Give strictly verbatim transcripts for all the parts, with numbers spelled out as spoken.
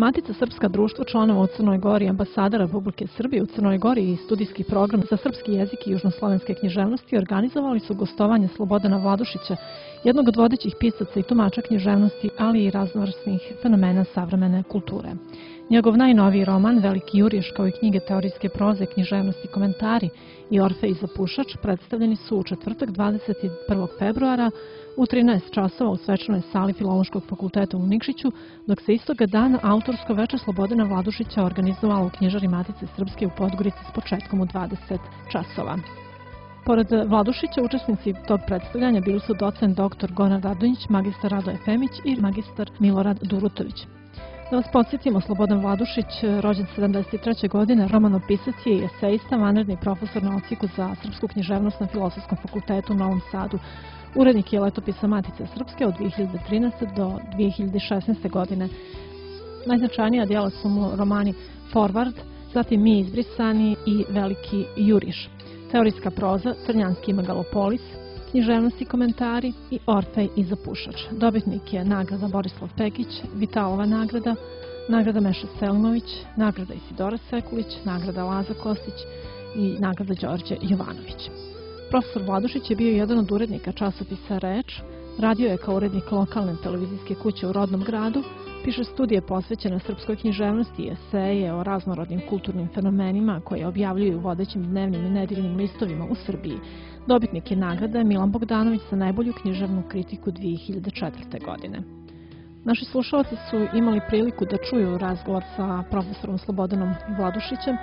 Matica Srpska, društvo članova u Crnoj Gori, ambasada Republike Srbije u Crnoj Gori i studijski program za srpski jezik i južnoslovenske književnosti organizovali su gostovanje Slobodana Vladušića, jednog od vodećih pisaca i tumača književnosti, ali i raznovrsnih fenomena savremene kulture. Njegov najnoviji roman, Veliki juriš, kao i knjige teorijske proze, književnosti, komentari i Orfej i zapušač predstavljeni su u četvrtak dvadeset prvog februara u trinaest časova u svečanoj sali Filološkog fakulteta u Nikšiću, dok se istoga dana autorsko veče Slobodana Vladušića organizovalo u knjižari Matice Srpske u Podgorici s početkom u dvadeset časova. Pored Vladušića, učesnici tog predstavljanja bili su docent doktor Goran Radonjić, magistar Radoje Femić i magistar Milorad Durutović. Da vas podsjetimo, Slobodan Vladušić, rođen sedamdeset treće godine, romanopisac je i esejista, vanredni profesor na odsjeku za srpsku književnost na Filozofskom fakultetu u Novom Sadu. Urednik je letopisa Matice Srpske od dve hiljade trinaeste. do dve hiljade šesnaeste. godine. Najznačajnija djela su mu romani Forward, zatim Mi izbrisani i Veliki juriš, teorijska proza, Crnjanski megalopolis, književnosti, komentari i Orfej i zapušač. Dobitnik je nagrada Borislav Pekić, Vitalova nagrada, nagrada Meša Selimović, nagrada Isidora Sekulić, nagrada Laza Kostić i nagrada Đorđe Jovanović. Profesor Vladušić je bio jedan od urednika časopisa Reč, radio je kao urednik lokalne televizijske kuće u rodnom gradu, piše studije posvećene srpskoj književnosti i eseje o raznorodnim kulturnim fenomenima koje objavljuju u vodećim dnevnim i nedeljnim listovima u Srbiji. Dobitnik je nagrade Milan Bogdanović za najbolju književnu kritiku dve hiljade četvrte. godine. Naši slušalci su imali priliku da čuju razgovor sa profesorom Slobodanom Vladušićem,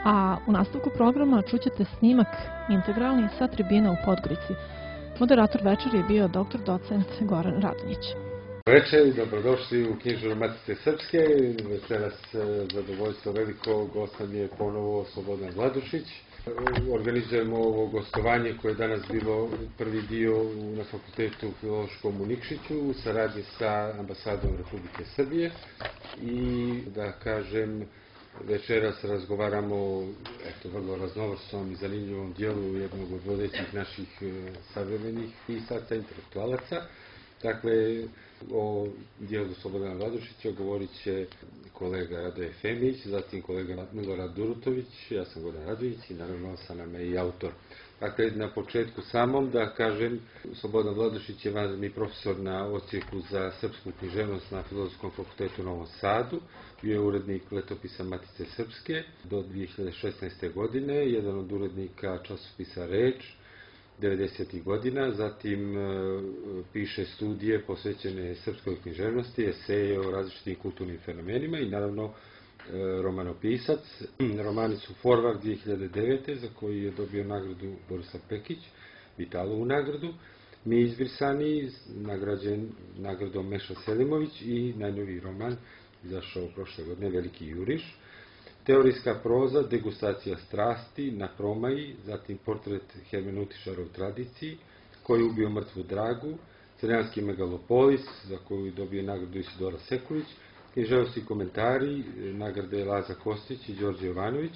a u nastavku programa čućete snimak integralni sa tribine u Podgorici. Moderator večeri je bio doktor docent Goran Radonjić. Večer i dobrodošli u knjižaru Matice Srpske. Večeras zadovoljstvo veliko, gost nam je ponovo Slobodan Vladušić. Organizujemo ovo gostovanje koje je danas bilo prvi dio na fakultetu Filološkom u Nikšiću u saradnji sa ambasadom Republike Srbije i da kažem večeras razgovaramo eto, vrlo raznovrsnom i zanimljivom dijelu jednog od vodećih naših savremenih pisaca, intelektualaca. Dakle, o dijelu Slobodana Vladušića govorit će kolega Radoje Femić, zatim kolega Milorad Durutović, ja sam Goran Radonjić i naravno sa nama i autor. Dakle, na početku samom da kažem, Slobodan Vladušić je vanredni profesor na odsjeku za srpsku književnost na Filozofskom fakultetu u Novom Sadu, bio je urednik letopisa Matice Srpske do dve hiljade šesnaeste. godine, jedan od urednika časopisa Reč devedesetih godina, zatim e, piše studije posvećene srpskoj književnosti, eseje o različitim kulturnim fenomenima i naravno e, romanopisac. Romani su Forward dve hiljade devete. za koji je dobio nagradu Borislav Pekić, Vitalovu nagradu, Mi izbrisani, nagrađen nagradom Meša Selimović i najnoviji roman izašao prošle godine, Veliki juriš. Teorijska proza, Degustacija strasti, Na promaji, zatim Portret hermeneutičara u tradiciji, Ko je ubio mrtvu dragu, Crnjanski megalopolis, za koju je dobio nagradu Isidora Sekulić, književnosti komentari, nagrade Laza Kostić i Đorđe Jovanović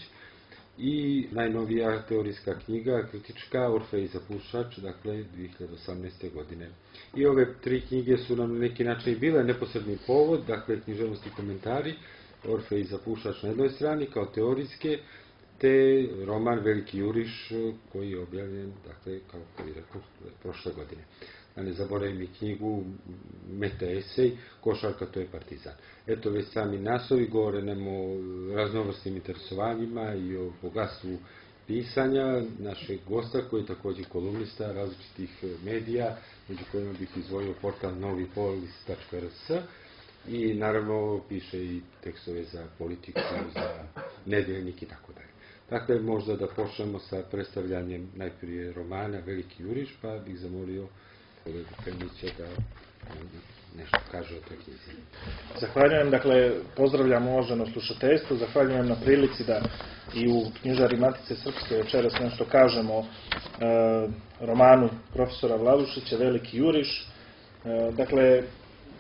i najnovija teorijska knjiga, kritička, Orfej i zapušač, dakle dve hiljade osamnaeste. godine. I ove tri knjige su nam na neki način bile neposredni povod, dakle književnosti komentari, Orfej i zapušač na jednoj strani kao teorijske, te roman Veliki juriš koji je objavljen, dakle, kao koji rekao, prošle godine. Da ne zaboravim i knjigu Meta esej, Košarka to je partizan. Eto, već sami naslovi govore nam o raznovrsnim interesovanjima i o bogatstvu pisanja našeg gosta koji je također kolumnista različitih medija, među kojima bih izdvojio portal novipolis tačka r s. I naravno piše i tekstove za politiku, za nedeljnik i tako dalje. Dakle, možda da počnemo sa predstavljanjem najprije romana Veliki juriš, pa bih zamolio kolegu Femića da nešto kaže o toj knjizi. Zahvaljujem, dakle, pozdravljam uvaženo slušateljstvo, zahvaljujem na prilici da i u knjižari Matice Srpske večeras nešto kažemo o e, romanu profesora Vladušića, Veliki juriš. E, dakle,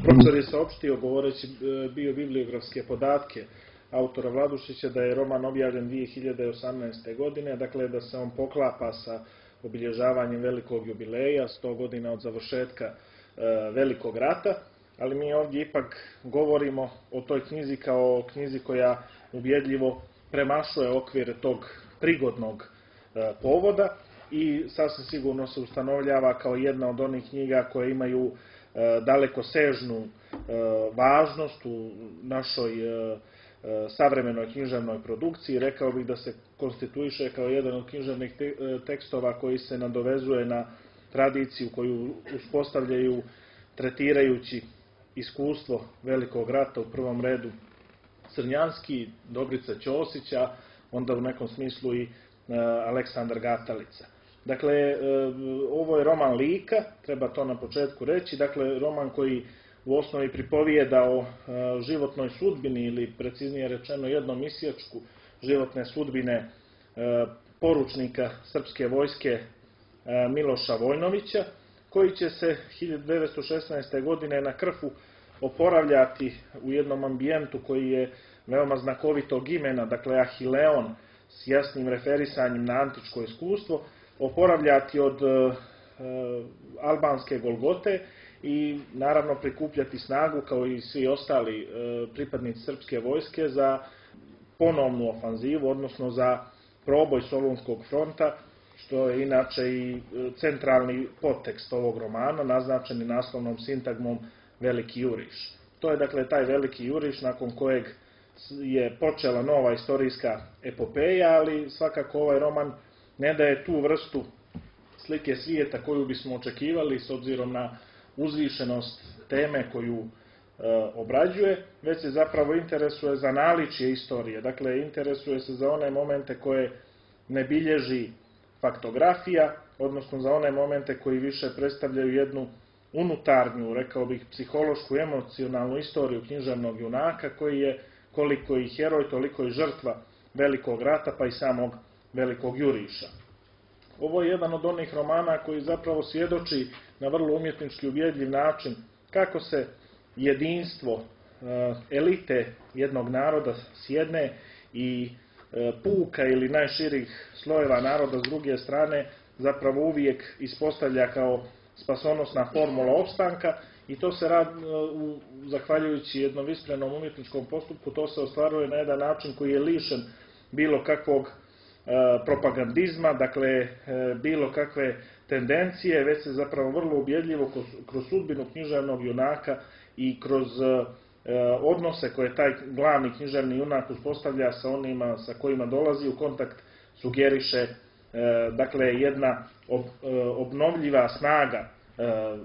profesor je saopštio, govoreći biobibliografske podatke autora Vladušića, da je roman objavljen dve hiljade osamnaeste. godine, dakle da se on poklapa sa obilježavanjem velikog jubileja, sto godina od završetka e, Velikog rata, ali mi ovdje ipak govorimo o toj knjizi kao o knjizi koja ubjedljivo premašuje okvir tog prigodnog povoda i sasvim sigurno se ustanovljava kao jedna od onih knjiga koje imaju dalekosežnu važnost u našoj savremenoj književnoj produkciji. Rekao bih da se konstituiše kao jedan od književnih tekstova koji se nadovezuje na tradiciju koju uspostavljaju tretirajući iskustvo Velikog rata, u prvom redu Crnjanski, Dobrica Ćosića, onda u nekom smislu i Aleksandar Gatalica. Dakle, ovo je roman lika, treba to na početku reći, dakle, roman koji u osnovi pripovijeda o životnoj sudbini ili preciznije rečeno jednom isječku životne sudbine poručnika srpske vojske Miloša Vojnovića, koji će se hiljadu devetsto šesnaeste. godine na Krfu oporavljati u jednom ambijentu koji je veoma znakovitog imena, dakle Ahileon, s jasnim referisanjem na antičko iskustvo, oporavljati od e, albanske Golgote i naravno prikupljati snagu kao i svi ostali e, pripadnici srpske vojske za ponovnu ofanzivu, odnosno za proboj Solunskog fronta, što je inače i centralni podtekst ovog romana, naznačeni naslovnom sintagmom Veliki juriš. To je dakle taj Veliki juriš nakon kojeg je počela nova istorijska epopeja, ali svakako ovaj roman ne daje tu vrstu slike svijeta koju bismo očekivali s obzirom na uzvišenost teme koju e, obrađuje, već se zapravo interesuje za naličje istorije. Dakle, interesuje se za one momente koje ne bilježi faktografija, odnosno za one momente koji više predstavljaju jednu unutarnju, rekao bih, psihološku, emocionalnu istoriju književnog junaka, koji je koliko i heroj, toliko i žrtva Velikog rata, pa i samog Velikog juriša. Ovo je jedan od onih romana koji zapravo svjedoči na vrlo umjetnički ubjedljiv način kako se jedinstvo elite jednog naroda s jedne i puka ili najširih slojeva naroda s druge strane zapravo uvijek ispostavlja kao spasonosna formula opstanka i to se radi, zahvaljujući jednom iskrenom umjetničkom postupku, to se ostvaruje na jedan način koji je lišen bilo kakvog propagandizma, dakle bilo kakve tendencije, već se zapravo vrlo ubjedljivo kroz sudbinu književnog junaka i kroz odnose koje taj glavni književni junak uspostavlja sa onima sa kojima dolazi u kontakt sugeriše dakle jedna obnovljiva snaga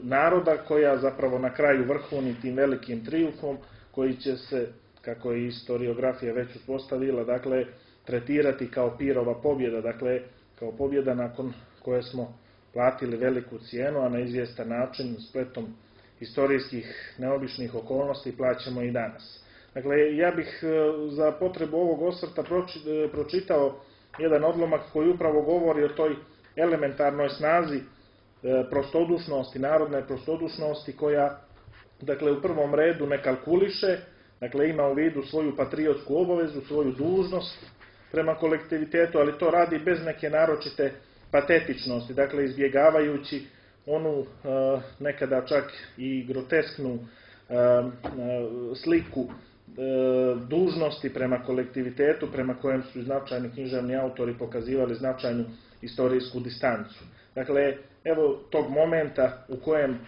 naroda koja zapravo na kraju vrhuni tim velikim trijumfom koji će se, kako je historiografija već uspostavila, dakle tretirati kao pirova pobjeda, dakle kao pobjeda nakon koje smo platili veliku cijenu, a na izvjestan način spletom historijskih neobičnih okolnosti plaćamo i danas. Dakle, ja bih za potrebu ovog osvrta pročitao jedan odlomak koji upravo govori o toj elementarnoj snazi prostodušnosti, narodne prostodušnosti koja, dakle, u prvom redu ne kalkuliše, dakle, ima u vidu svoju patriotsku obavezu, svoju dužnost prema kolektivitetu, ali to radi bez neke naročite patetičnosti, dakle, izbjegavajući onu nekada čak i grotesknu sliku dužnosti prema kolektivitetu, prema kojem su značajni književni autori pokazivali značajnu istorijsku distancu. Dakle, evo tog momenta u kojem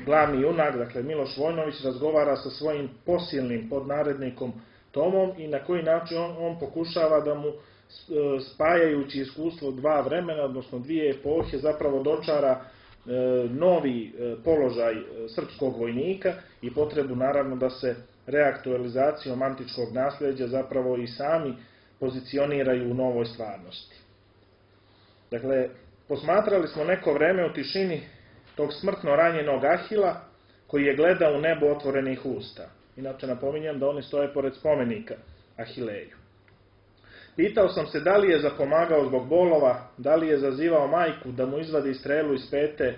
glavni junak, dakle Miloš Vojnović, razgovara sa svojim posilnim podnarednikom Tomom i na koji način on, on pokušava da mu, spajajući iskustvo dva vremena, odnosno dvije epohe, zapravo dočara novi položaj srpskog vojnika i potrebu naravno da se reaktualizacijom antičkog nasljeđa zapravo i sami pozicioniraju u novoj stvarnosti. Dakle, posmatrali smo neko vreme u tišini tog smrtno ranjenog Ahila koji je gledao u nebo otvorenih usta. Inače napominjem da oni stoje pored spomenika Ahileju. Pitao sam se da li je zapomagao zbog bolova, da li je zazivao majku da mu izvadi strelu iz pete.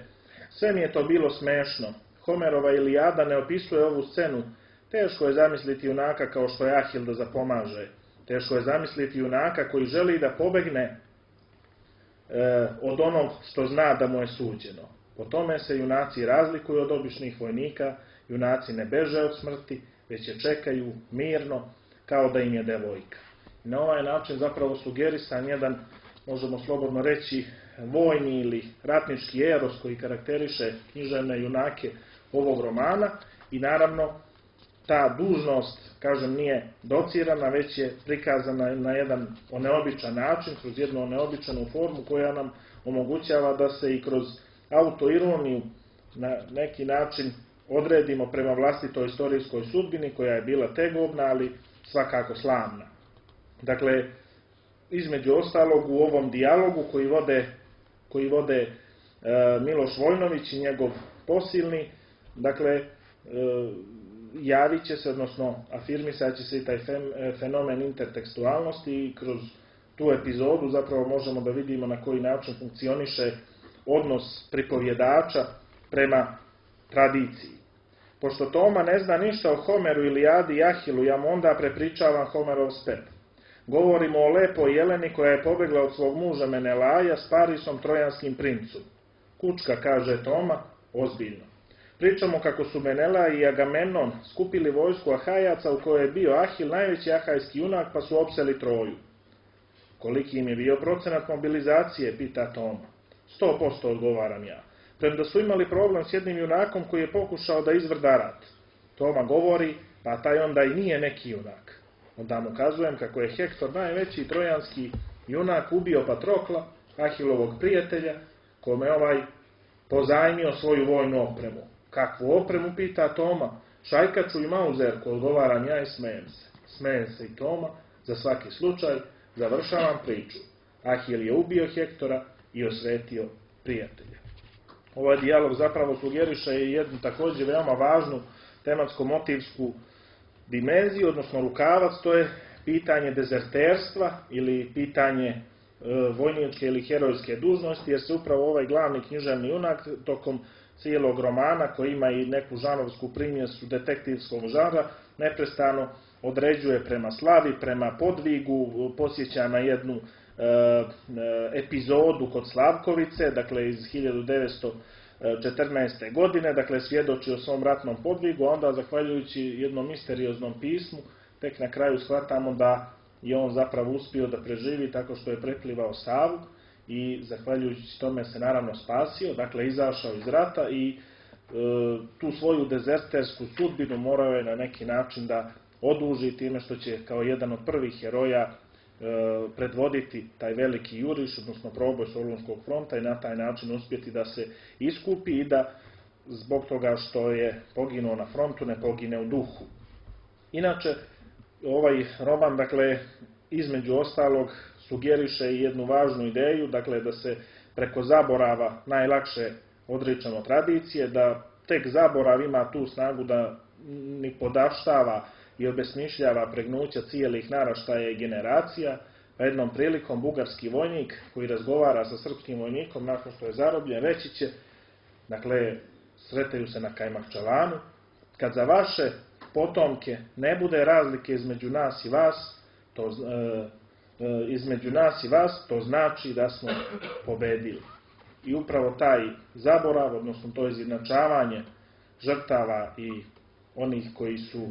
Sve mi je to bilo smešno. Homerova Ilijada ne opisuje ovu scenu. Teško je zamisliti junaka kao što je Ahil da zapomaže. Teško je zamisliti junaka koji želi da pobegne e, od onog što zna da mu je suđeno. Po tome se junaci razlikuju od običnih vojnika junaci ne beže od smrti, već je čekaju mirno kao da im je devojka. I na ovaj način zapravo sugerisan jedan, možemo slobodno reći, vojni ili ratnički eros koji karakteriše književne junake ovog romana i naravno ta dužnost, kažem, nije docirana, već je prikazana na jedan neobičan način, kroz jednu neobičanu formu koja nam omogućava da se i kroz autoironiju na neki način odredimo prema vlastitoj istorijskoj sudbini koja je bila tegobna, ali svakako slavna. Dakle, između ostalog u ovom dijalogu koji vode, koji vode e, Miloš Vojnović i njegov posilni, dakle, e, javit će se, odnosno afirmisat će se i taj fenomen intertekstualnosti i kroz tu epizodu zapravo možemo da vidimo na koji način funkcioniše odnos pripovjedača prema tradiciji. Pošto Toma ne zna ništa o Homeru, Ilijadi i Ahilu, ja mu onda prepričavam Homerov spet. Govorimo o lepoj Jeleni koja je pobegla od svog muža Menelaja s Parisom, trojanskim princom. Kučka, kaže Toma, ozbiljno. Pričamo kako su Menelaj i Agamemnon skupili vojsku Ahajaca u kojoj je bio Ahil, najveći ahajski junak, pa su opseli Troju. Koliki im je bio procenat mobilizacije, pita Toma. Sto posto odgovaram ja. Premda su imali problem s jednim junakom koji je pokušao da izvrda rat. Toma govori, pa taj onda i nije neki junak. Onda mu kazujem kako je Hektor, najveći trojanski junak, ubio Patrokla, Ahilovog prijatelja, kome ovaj pozajmio svoju vojnu opremu. Kakvu opremu, pita Toma? Šajkaču i mauzerku, odgovaram ja i smejem se. Smejem se i Toma, za svaki slučaj, završavam priču. Ahil je ubio Hektora i osvetio prijatelja. Ovaj dijalog zapravo sugeriše i jednu također veoma važnu tematsko-motivsku dimenziju, odnosno rukavac, to je pitanje dezerterstva ili pitanje e, vojničke ili herojske dužnosti, jer se upravo ovaj glavni književni junak tokom cijelog romana, koji ima i neku žanrovsku primjesu detektivskog žanra, neprestano određuje prema slavi, prema podvigu, posjeća na jednu e, e, epizodu kod Slavkovice, dakle iz hiljadu devetsto četrnaeste. godine, dakle svjedoči o svom ratnom podvigu, a onda zahvaljujući jednom misterioznom pismu, tek na kraju shvatamo da je on zapravo uspio da preživi tako što je preplivao Savu i zahvaljujući tome se naravno spasio, dakle izašao iz rata i e, tu svoju dezertersku sudbinu morao je na neki način da oduži time što će kao jedan od prvih heroja e, predvoditi taj veliki juriš, odnosno proboj Solunskog fronta i na taj način uspjeti da se iskupi i da zbog toga što je poginuo na frontu ne pogine u duhu. Inače, ovaj roman, dakle, između ostalog, sugeriše i jednu važnu ideju, dakle, da se preko zaborava najlakše odričemo tradicije, da tek zaborav ima tu snagu da ni podaštava i obesmišljava pregnuća cijelih naraštaja i generacija, pa jednom prilikom bugarski vojnik koji razgovara sa srpskim vojnikom nakon što je zarobljen, reći će, dakle, sretaju se na Kajmakčalanu, kad za vaše potomke ne bude razlike između nas i vas, to, e, e, između nas i vas, to znači da smo pobedili. I upravo taj zaborav, odnosno to izjednačavanje žrtava i onih koji su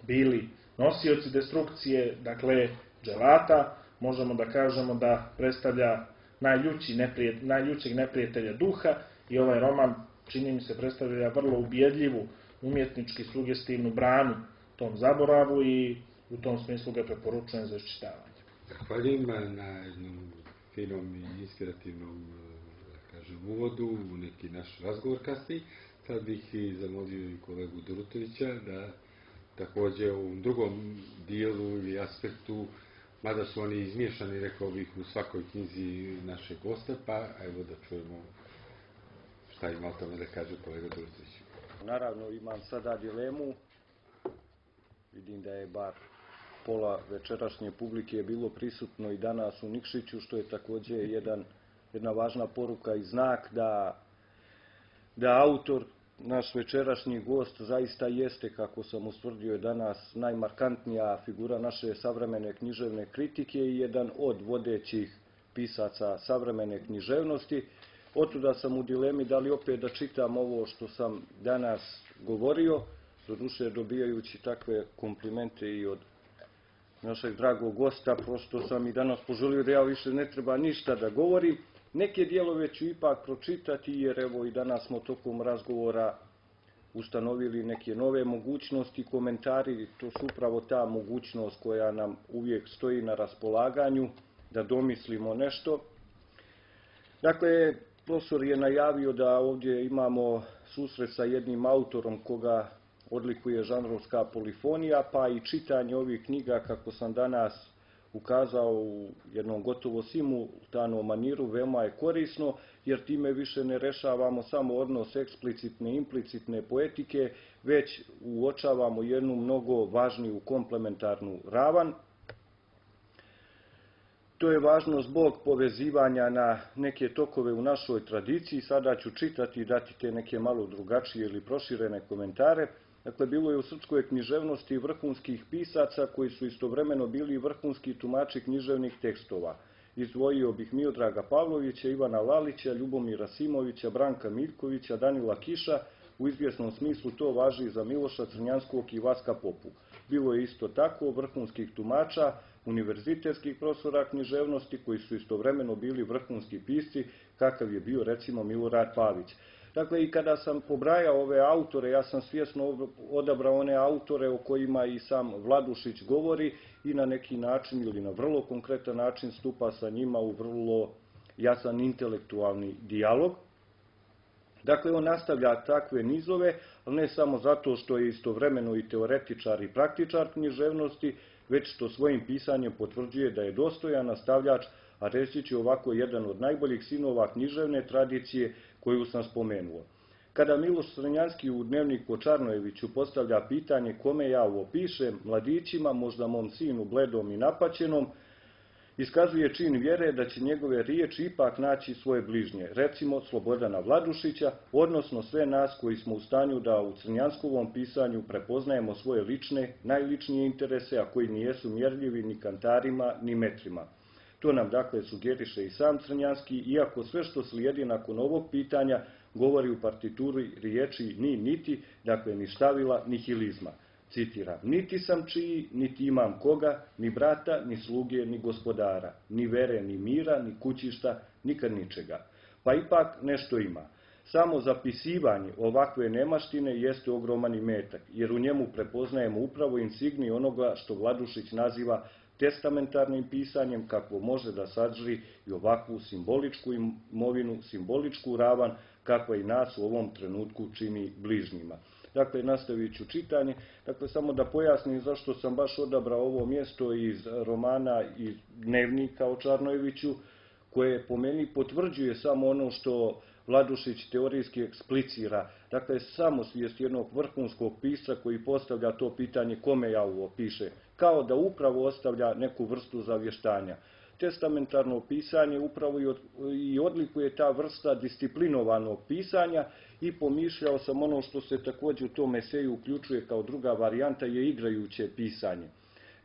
bili nosioci destrukcije, dakle dželata, možemo da kažemo da predstavlja najljući neprijed, najljućeg neprijatelja duha i ovaj roman, čini mi se, predstavlja vrlo ubjedljivu, umjetnički sugestivnu branu tom zaboravu i u tom smislu ga preporučujem za iščitavanje. Zahvaljujem na jednom finom i inspirativnom, da kažem, uvodu u neki naš razgovor kasniji. Sad bih i zamolio i kolegu Durutovića da također u drugom dijelu ili aspektu, mada su oni izmiješani, rekao bih, u svakoj knjizi našeg gosta, pa evo da čujemo šta ima o tome da kaže kolega Durutović. Naravno, imam sada dilemu, vidim da je bar pola večerašnje publike bilo prisutno i danas u Nikšiću, što je također jedan, jedna važna poruka i znak da, da autor, naš večerašnji gost, zaista jeste, kako sam ustvrdio danas, najmarkantnija figura naše savremene književne kritike i jedan od vodećih pisaca savremene književnosti. Otuda sam u dilemi da li opet da čitam ovo što sam danas govorio, doduše dobijajući takve komplimente i od našeg dragog gosta, prosto sam i danas poželio da ja više ne treba ništa da govorim. Neke dijelove ću ipak pročitati, jer evo i danas smo tokom razgovora ustanovili neke nove mogućnosti, komentari, to su upravo ta mogućnost koja nam uvijek stoji na raspolaganju, da domislimo nešto. Dakle, profesor je najavio da ovdje imamo susret sa jednim autorom koga odlikuje žanrovska polifonija, pa i čitanje ovih knjiga, kako sam danas ukazao, u jednom gotovo simultanom maniru, veoma je korisno, jer time više ne rešavamo samo odnos eksplicitne i implicitne poetike, već uočavamo jednu mnogo važniju komplementarnu ravan. To je važno zbog povezivanja na neke tokove u našoj tradiciji. Sada ću čitati i dati te neke malo drugačije ili proširene komentare. Dakle, bilo je u srpskoj književnosti vrhunskih pisaca koji su istovremeno bili vrhunski tumači književnih tekstova. Izdvojio bih Miodraga Pavlovića, Ivana Lalića, Ljubomira Simovića, Branka Miljkovića, Danila Kiša. U izvjesnom smislu to važi i za Miloša Crnjanskog i Vaska Popu. Bilo je isto tako vrhunskih tumača, univerzitetskih profesora književnosti koji su istovremeno bili vrhunski pisci, kakav je bio recimo Milorad Pavić. Dakle, i kada sam pobrajao ove autore, ja sam svjesno odabrao one autore o kojima i sam Vladušić govori i na neki način ili na vrlo konkretan način stupa sa njima u vrlo jasan intelektualni dijalog. Dakle, on nastavlja takve nizove, ali ne samo zato što je istovremeno i teoretičar i praktičar književnosti, već što svojim pisanjem potvrđuje da je dostojan nastavljač, a reći ću ovako, jedan od najboljih sinova književne tradicije koju sam spomenuo. Kada Miloš Crnjanski u dnevniku o Čarnojeviću postavlja pitanje kome ja ovo pišem, mladićima, možda mom sinu bledom i napaćenom, iskazuje čin vjere da će njegove riječi ipak naći svoje bližnje, recimo Slobodana Vladušića, odnosno sve nas koji smo u stanju da u crnjanskovom pisanju prepoznajemo svoje lične, najličnije interese, a koji nijesu mjerljivi ni kantarima, ni metrima. To nam dakle sugeriše i sam Crnjanski, iako sve što slijedi nakon ovog pitanja govori u partituri riječi ni niti, dakle ni štavila, ni hilizma. Citiram, niti sam čiji, niti imam koga, ni brata, ni sluge, ni gospodara, ni vere, ni mira, ni kućišta, nikad ničega. Pa ipak nešto ima. Samo zapisivanje ovakve nemaštine jeste ogroman imetak, jer u njemu prepoznajemo upravo insigniju onoga što Vladušić naziva testamentarnim pisanjem, kakvo može da sadrži i ovakvu simboličku imovinu, simboličku ravan, kakva i nas u ovom trenutku čini bližnjima. Dakle, nastavit ću čitanje. Dakle, samo da pojasnim zašto sam baš odabrao ovo mjesto iz romana i dnevnika o Čarnojeviću, koje po meni potvrđuje samo ono što Vladušić teorijski eksplicira. Dakle, samosvijest jednog vrhunskog pisca koji postavlja to pitanje kome ja ovo piše, kao da upravo ostavlja neku vrstu zavještanja. Testamentarno pisanje upravo i odlikuje ta vrsta disciplinovanog pisanja i pomišljao sam ono što se također u tom eseju uključuje kao druga varijanta je igrajuće pisanje.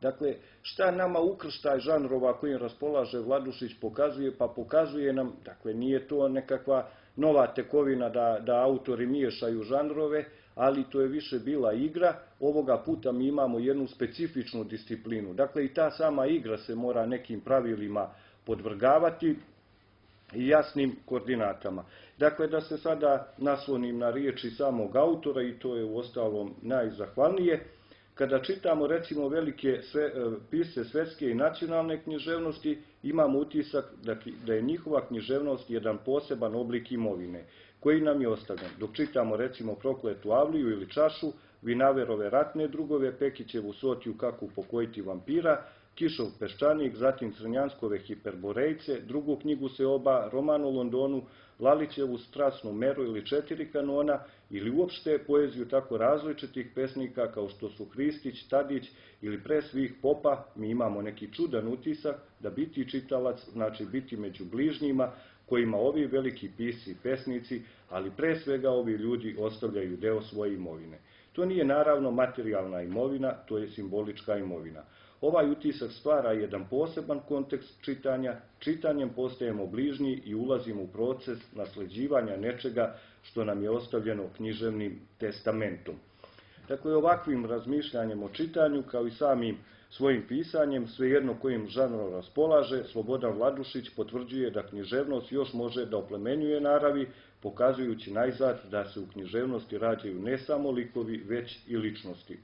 Dakle, šta nama ukrštaj žanrova kojim raspolaže Vladušić pokazuje? Pa pokazuje nam, dakle, nije to nekakva nova tekovina da, da autori miješaju žanrove, ali to je više bila igra. Ovoga puta mi imamo jednu specifičnu disciplinu. Dakle, i ta sama igra se mora nekim pravilima podvrgavati i jasnim koordinatama. Dakle, da se sada naslonim na riječi samog autora, i to je uostalom najzahvalnije, kada čitamo recimo velike sve, pisce svetske i nacionalne književnosti, imamo utisak da, da je njihova književnost jedan poseban oblik imovine, koji nam je ostavljen. Dok čitamo recimo Prokletu Avliju ili Čašu, Vinaverove ratne drugove, Pekićevu Sotiju Kako upokojiti vampira, Kišov peščanik, zatim Crnjanskove Hiperborejce, drugu knjigu Seoba, roman o Londonu, Lalićevu Strasnu meru ili Četiri kanona, ili uopšte poeziju tako različitih pesnika kao što su Hristić, Tadić ili pre svih Popa, mi imamo neki čudan utisak da biti čitalac znači biti među bližnjima kojima ovi veliki pisci i pesnici, ali pre svega ovi ljudi ostavljaju deo svoje imovine. To nije naravno materijalna imovina, to je simbolička imovina. Ovaj utisak stvara jedan poseban kontekst čitanja, čitanjem postajemo bližnji i ulazimo u proces nasleđivanja nečega što nam je ostavljeno književnim testamentom. Dakle, ovakvim razmišljanjem o čitanju, kao i samim svojim pisanjem, svejedno kojim žanrom raspolaže, Slobodan Vladušić potvrđuje da književnost još može da oplemenjuje naravi, pokazujući najzad da se u književnosti rađaju ne samo likovi, već i ličnosti.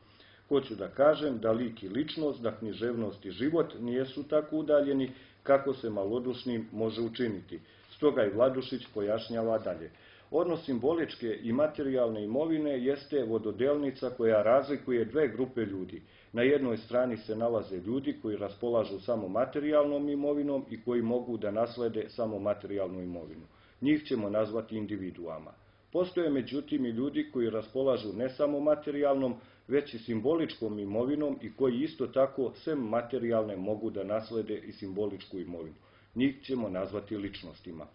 Hoću da kažem da lik i ličnost, da književnost i život nijesu tako udaljeni kako se malodušnim može učiniti. Stoga i Vladušić pojašnjava dalje. Odnos simboličke i materijalne imovine jeste vododelnica koja razlikuje dve grupe ljudi. Na jednoj strani se nalaze ljudi koji raspolažu samo materijalnom imovinom i koji mogu da naslede samo materijalnu imovinu. Njih ćemo nazvati individuama. Postoje međutim i ljudi koji raspolažu ne samo materijalnom, već i simboličkom imovinom i koji isto tako, sem materijalne, mogu da naslede i simboličku imovinu. Njih ćemo nazvati ličnostima.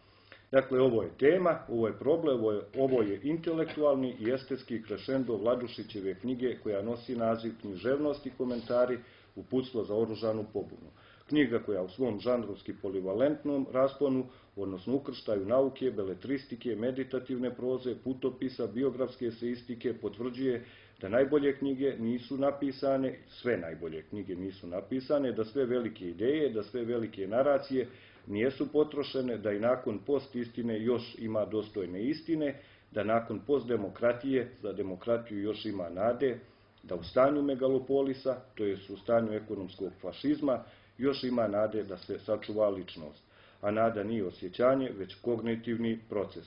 Dakle, ovo je tema, ovo je problem, ovo je, ovo je intelektualni i estetski krešendo Vladušićeve knjige koja nosi naziv Književnost i komentari, uputstvo za oružanu pobunu. Knjiga koja u svom žanrovski polivalentnom rasponu, odnosno ukrštaju nauke, beletristike, meditativne proze, putopisa, biografske eseistike, potvrđuje da najbolje knjige nisu napisane, sve najbolje knjige nisu napisane, da sve velike ideje, da sve velike naracije nijesu potrošene, da i nakon post-istine još ima dostojne istine, da nakon post-demokratije za demokratiju još ima nade, da u stanju megalopolisa, to jest u stanju ekonomskog fašizma, još ima nade da se sačuva ličnost. A nada nije osjećanje, već kognitivni proces.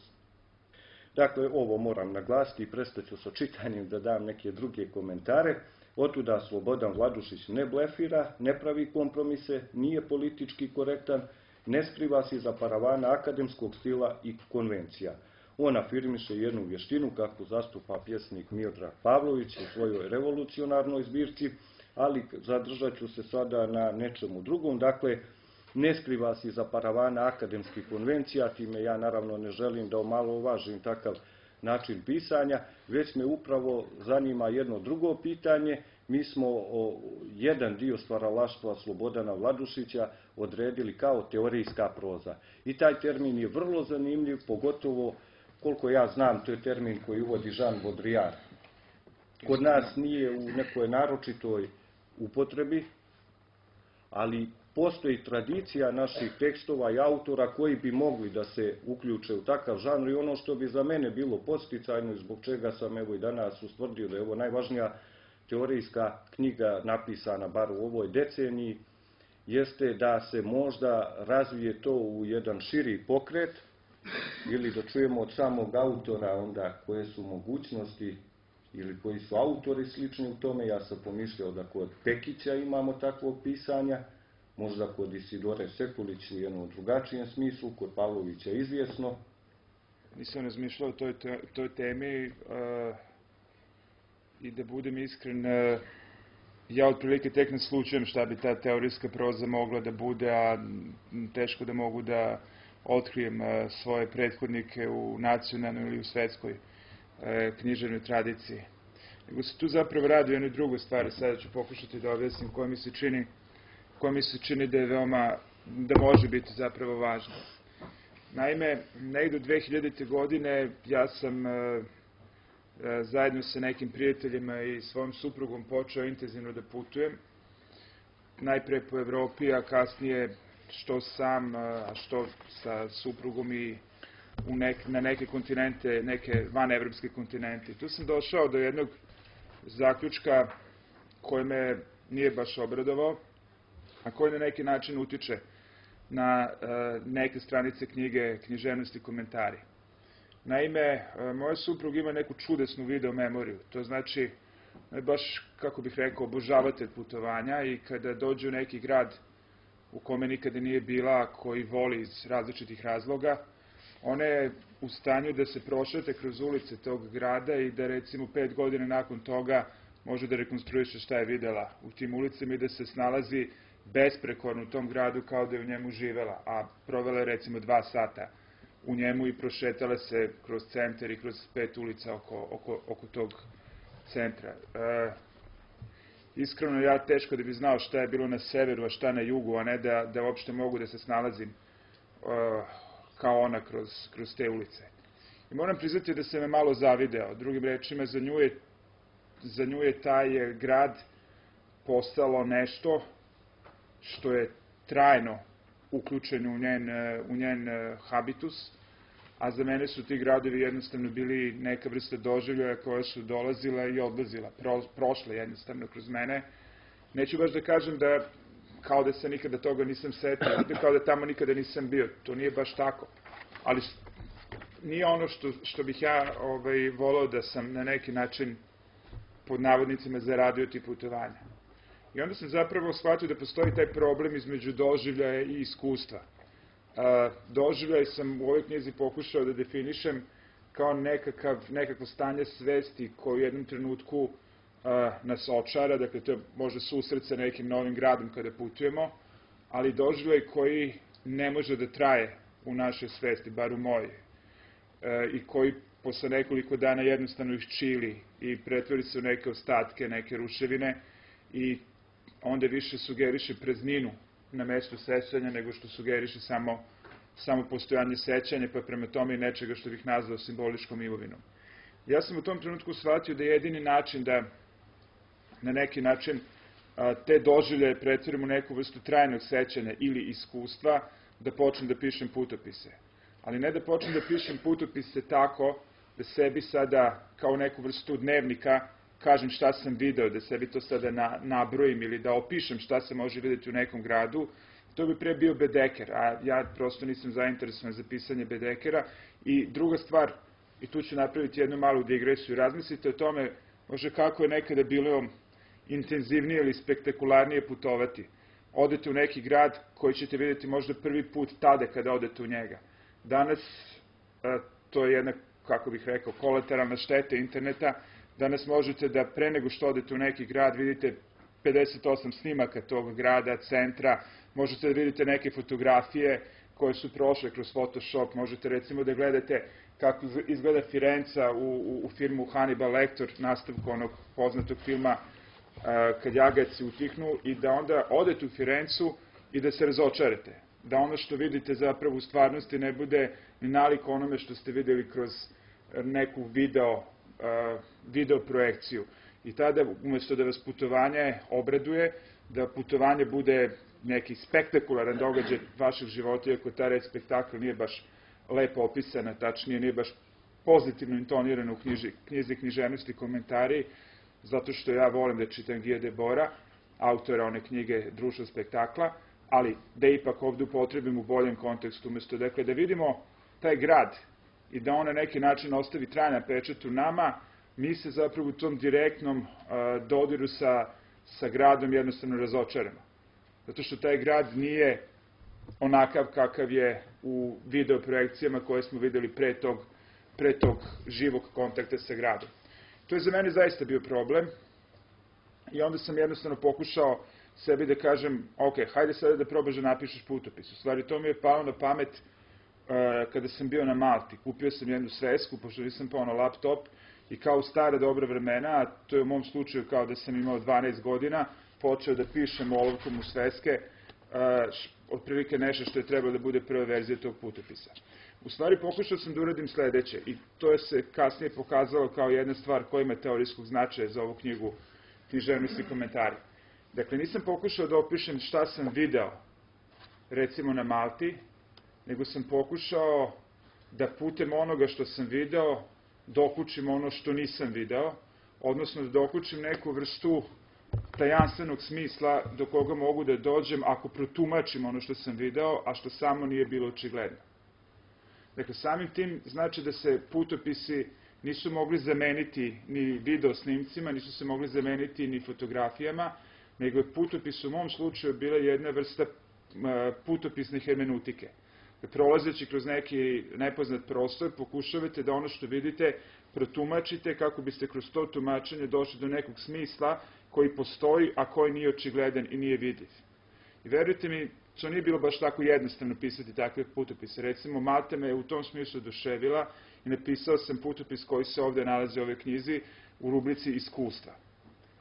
Dakle, ovo moram naglasiti i prestaću sa čitanjem da dam neke druge komentare. Otuda Slobodan Vladušić ne blefira, ne pravi kompromise, nije politički korektan, ne skriva se iza paravana akademskog stila i konvencija. On afirmiše jednu vještinu kakvu zastupa pjesnik Miodrag Pavlović u svojoj revolucionarnoj zbirci, ali zadržat ću se sada na nečemu drugom. Dakle, ne skriva se iza paravana akademskih konvencija, time ja naravno ne želim da omalovažim takav način pisanja, već me upravo zanima jedno drugo pitanje. Mi smo o, jedan dio stvaralaštva Slobodana Vladušića odredili kao teorijska proza. I taj termin je vrlo zanimljiv, pogotovo, koliko ja znam, to je termin koji uvodi Jean Baudrillard. Kod nas nije u nekoj naročitoj upotrebi, ali postoji tradicija naših tekstova i autora koji bi mogli da se uključe u takav žanr i ono što bi za mene bilo podsticajno i zbog čega sam evo i danas ustvrdio da je ovo najvažnija teorijska knjiga napisana bar u ovoj deceniji, jeste da se možda razvije to u jedan širi pokret ili da čujemo od samog autora onda koje su mogućnosti ili koji su autori slični u tome. Ja sam pomišljao da kod Pekića imamo takvog pisanja, možda kod Isidore Sekulić u jednom drugačijem smislu, kod Pavlovića izvjesno. Nisam razmišljao o toj, toj temi uh, i da budem iskren, uh, ja otprilike tek naslučujem šta bi ta teorijska proza mogla da bude, a teško da mogu da otkrijem uh, svoje prethodnike u nacionalnoj ili u svetskoj uh, književnoj tradiciji. Nego se tu zapravo radi o jednoj drugoj stvari, sada ću pokušati da objasnim koja mi se čini koja mi se čini da je veoma, da može biti zapravo važno. Naime, negdje od dve hiljadite. godine ja sam e, e, zajedno sa nekim prijateljima i svojom suprugom počeo intenzivno da putujem. Najpre po Evropi, a kasnije što sam, a što sa suprugom i u nek, na neke kontinente, neke vanevropske kontinente. Tu sam došao do jednog zaključka koji me nije baš obradovao, a koji na neki način utiče na e, neke stranice knjige Književnost i komentari. Naime, e, moj suprug ima neku čudesnu video memoriju. To znači, ne baš, kako bih rekao, obožavatelj putovanja i kada dođe u neki grad u kome nikada nije bila, koji voli iz različitih razloga, ona je u stanju da se prošete kroz ulice tog grada i da recimo pet godina nakon toga može da rekonstruiše šta je videla u tim ulicama i da se snalazi besprekorno u tom gradu kao da je u njemu živela, a provela je recimo dva sata u njemu i prošetala se kroz centar i kroz pet ulica oko, oko, oko tog centra. E, iskreno, ja teško da bi znao šta je bilo na severu, a šta na jugu, a ne da, da uopšte mogu da se snalazim e, kao ona kroz, kroz te ulice. I moram priznati da se me malo zavideo. Drugim rečima, za nju je, za nju je taj grad postalo nešto što je trajno uključeno u njen, u njen habitus, a za mene su ti gradovi jednostavno bili neka vrsta doživljaja koja su dolazila i odlazila, pro, prošle jednostavno kroz mene. Neću baš da kažem da kao da se nikada toga nisam setio, kao da tamo nikada nisam bio, to nije baš tako, ali nije ono što, što bih ja ovaj, volao da sam na neki način pod navodnicima zaradio ti putovanja. I onda sam zapravo shvatio da postoji taj problem između doživljaja i iskustva. Doživljaj sam u ovoj knjizi pokušao da definišem kao nekakav, nekakvo stanje svesti koje u jednom trenutku nas očara, dakle to je možda susret sa nekim novim gradom kada putujemo, ali doživljaj koji ne može da traje u našoj svesti, bar u mojoj, i koji posle nekoliko dana jednostavno iščili i pretvori se u neke ostatke, neke ruševine i onda više sugeriše prazninu na mestu sećanja nego što sugeriše samo, samo postojanje sećanja, pa prema tome i nečega što bih nazvao simboličkom imovinom. Ja sam u tom trenutku shvatio da je jedini način da na neki način te doživljaje pretvorim u neku vrstu trajnog sećanja ili iskustva, da počnem da pišem putopise. Ali ne da počnem da pišem putopise tako da sebi sada kao neku vrstu dnevnika kažem šta sam video, da sebi to sada na, nabrojim ili da opišem šta se može vidjeti u nekom gradu, to bi pre bio bedeker, a ja prosto nisam zainteresovan za pisanje bedekera. I druga stvar, i tu ću napraviti jednu malu digresiju, razmislite o tome može kako je nekada bilo intenzivnije ili spektakularnije putovati. Odete u neki grad koji ćete vidjeti možda prvi put tada kada odete u njega. Danas, to je jedna, kako bih rekao, kolateralna šteta interneta. Danas možete da pre nego što odete u neki grad vidite pedeset osam snimaka tog grada, centra, možete da vidite neke fotografije koje su prošle kroz Photoshop, možete recimo da gledate kako izgleda Firenca u, u, u filmu Hannibal Lecter, nastavku onog poznatog filma Kad jagaci utihnu, i da onda odete u Firencu i da se razočarate. Da ono što vidite zapravo u stvarnosti ne bude ni nalik onome što ste videli kroz neku video, video projekciju. I tada, umjesto da vas putovanje obraduje, da putovanje bude neki spektakularan događaj vašeg života, iako ta reč spektakl nije baš lepo opisana, tačnije nije baš pozitivno intonirano u knjiži, knjizi književnosti komentari, zato što ja volim da čitam Guy Debora, autora one knjige Društvo spektakla, ali da ipak ovdje upotrebim u boljem kontekstu, umjesto dakle, da vidimo taj grad i da on na neki način ostavi trajan pečat u nama, mi se zapravo u tom direktnom uh, dodiru sa, sa gradom jednostavno razočaramo. Zato što taj grad nije onakav kakav je u video projekcijama koje smo videli pre tog, pre tog živog kontakta sa gradom. To je za mene zaista bio problem i onda sam jednostavno pokušao sebi da kažem, ok, hajde sada da probaš da napišeš putopis. U stvari, to mi je palo na pamet uh, kada sam bio na Malti. Kupio sam jednu svesku, pošto nisam pao na laptop, i kao u stara dobra vremena, a to je u mom slučaju kao da sam imao dvanaest godina, počeo da pišem olovkom u sveske, uh, otprilike nešto što je trebalo da bude prva verzija tog putopisa. U stvari, pokušao sam da uradim sledeće, i to je se kasnije pokazalo kao jedna stvar koja ima teorijskog značaja za ovu knjigu književnosti komentari. Dakle, nisam pokušao da opišem šta sam video, recimo na Malti, nego sam pokušao da putem onoga što sam video dokučim ono što nisam video, odnosno da dokučim neku vrstu tajanstvenog smisla do koga mogu da dođem ako protumačim ono što sam video, a što samo nije bilo očigledno. Dakle, samim tim znači da se putopisi nisu mogli zameniti ni video snimcima, nisu se mogli zameniti ni fotografijama, nego je putopis u mom slučaju bila jedna vrsta putopisne hermenutike. Prolazeći kroz neki nepoznat prostor, pokušavate da ono što vidite protumačite kako biste kroz to tumačenje došli do nekog smisla koji postoji, a koji nije očigledan i nije vidljiv. I verujte mi, to nije bilo baš tako jednostavno pisati takve putopise. Recimo, Malta me je u tom smislu oduševila i napisao sam putopis koji se ovdje nalazi u ovoj knjizi, u rubrici iskustva.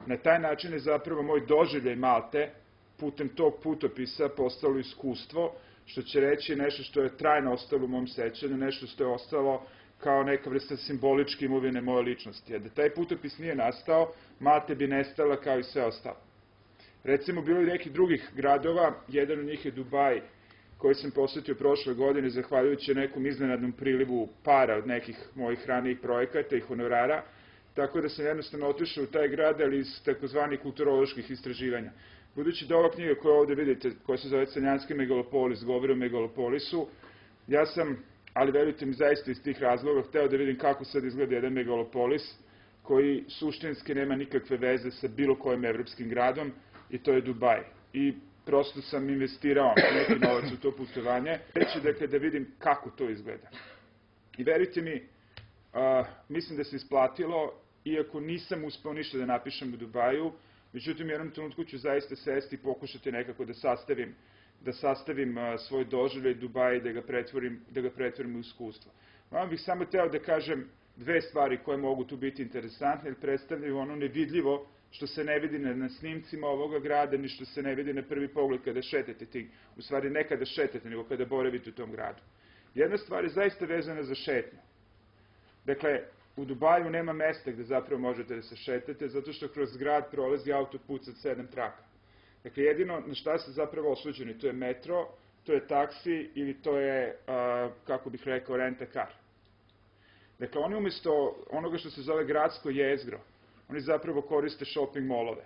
Na taj način je zapravo moj doživljaj Malte putem tog putopisa postalo iskustvo, što će reći nešto što je trajno ostalo u mom sećanju, nešto što je ostalo kao neka vrsta simboličke imovine moje ličnosti. A da taj putopis nije nastao, Malte bi nestala kao i sve ostalo. Recimo, bilo je nekih drugih gradova, jedan od njih je Dubaj, koji sam posetio prošle godine, zahvaljujući nekom iznenadnom prilivu para od nekih mojih ranijih projekata i honorara, tako da sam jednostavno otišao u taj grad, ali iz takozvanih kulturoloških istraživanja. Budući da ova knjiga koju ovde vidite, koja se zove Crnjanski megalopolis, govori o megalopolisu, ja sam, ali verujte mi zaista iz tih razloga, hteo da vidim kako sad izgleda jedan megalopolis, koji suštinski nema nikakve veze sa bilo kojim evropskim gradom, i to je Dubaj. I prosto sam investirao neki novac u to putovanje, reći dakle da vidim kako to izgleda. I verujte mi, a, mislim da se isplatilo, iako nisam uspeo ništa da napišem u Dubaju, međutim u jednom trenutku ću zaista sesti i pokušati nekako da sastavim, da sastavim a, svoj doživljaj Dubaja i da ga pretvorim, da ga pretvorim u iskustvo. Vam bih samo teo da kažem dve stvari koje mogu tu biti interesantne, jer predstavljaju ono nevidljivo što se ne vidi na, na snimcima ovoga grada, ni što se ne vidi na prvi pogled kada šetate ti, u stvari ne kada šetate, nego kada boravite u tom gradu. Jedna stvar je zaista vezana za šetnju. Dakle, u Dubaju nema mesta gde zapravo možete da se šetate, zato što kroz grad prolazi autoput sa sedam traka. Dakle, jedino na šta se zapravo osuđeni, to je metro, to je taksi ili to je, a, kako bih rekao, rent-a-car. Dakle, oni umjesto onoga što se zove gradsko jezgro, oni zapravo koriste shopping mallove.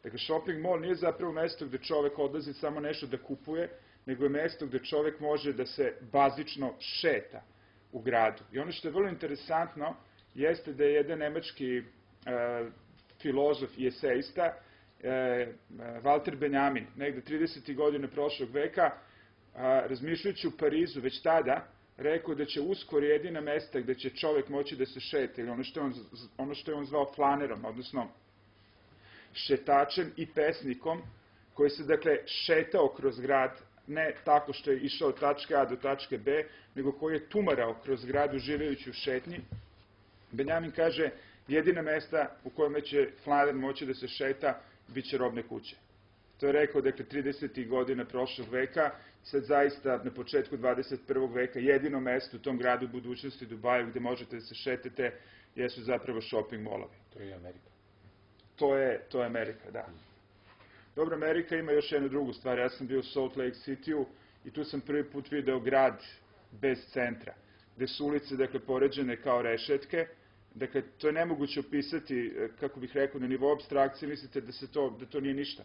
Dakle, shopping mall nije zapravo mesto gde čovek odlazi samo nešto da kupuje, nego je mesto gde čovek može da se bazično šeta u gradu. I ono što je vrlo interesantno jeste da je jedan nemački e, filozof i esejista, e, Walter Benjamin, negde tridesetih godina prošlog veka, a, razmišljajući u Parizu već tada, rekao da će uskoro jedina mesta gde će čovek moći da se šeta, ili ono što je on, ono što je on zvao flanerom, odnosno šetačem i pesnikom, koji se, dakle, šetao kroz grad, ne tako što je išao od tačke A do tačke B, nego koji je tumarao kroz grad uživajući u šetnji. Benjamin kaže, jedina mesta u kojima će flaner moći da se šeta, bit će robne kuće. To je rekao, dakle, tridesetih godina prošlog veka, sad zaista na početku dvadeset prvog veka jedino mesto u tom gradu budućnosti Dubaju gde možete da se šetete jesu zapravo shopping mallovi. To je Amerika. To je, to je Amerika, da. Dobro, Amerika ima još jednu drugu stvar. Ja sam bio u Salt Lake City-u i tu sam prvi put video grad bez centra, gde su ulice, dakle, poređene kao rešetke. Dakle, to je nemoguće opisati, kako bih rekao, na nivou apstrakcije, mislite da, se to, da to nije ništa.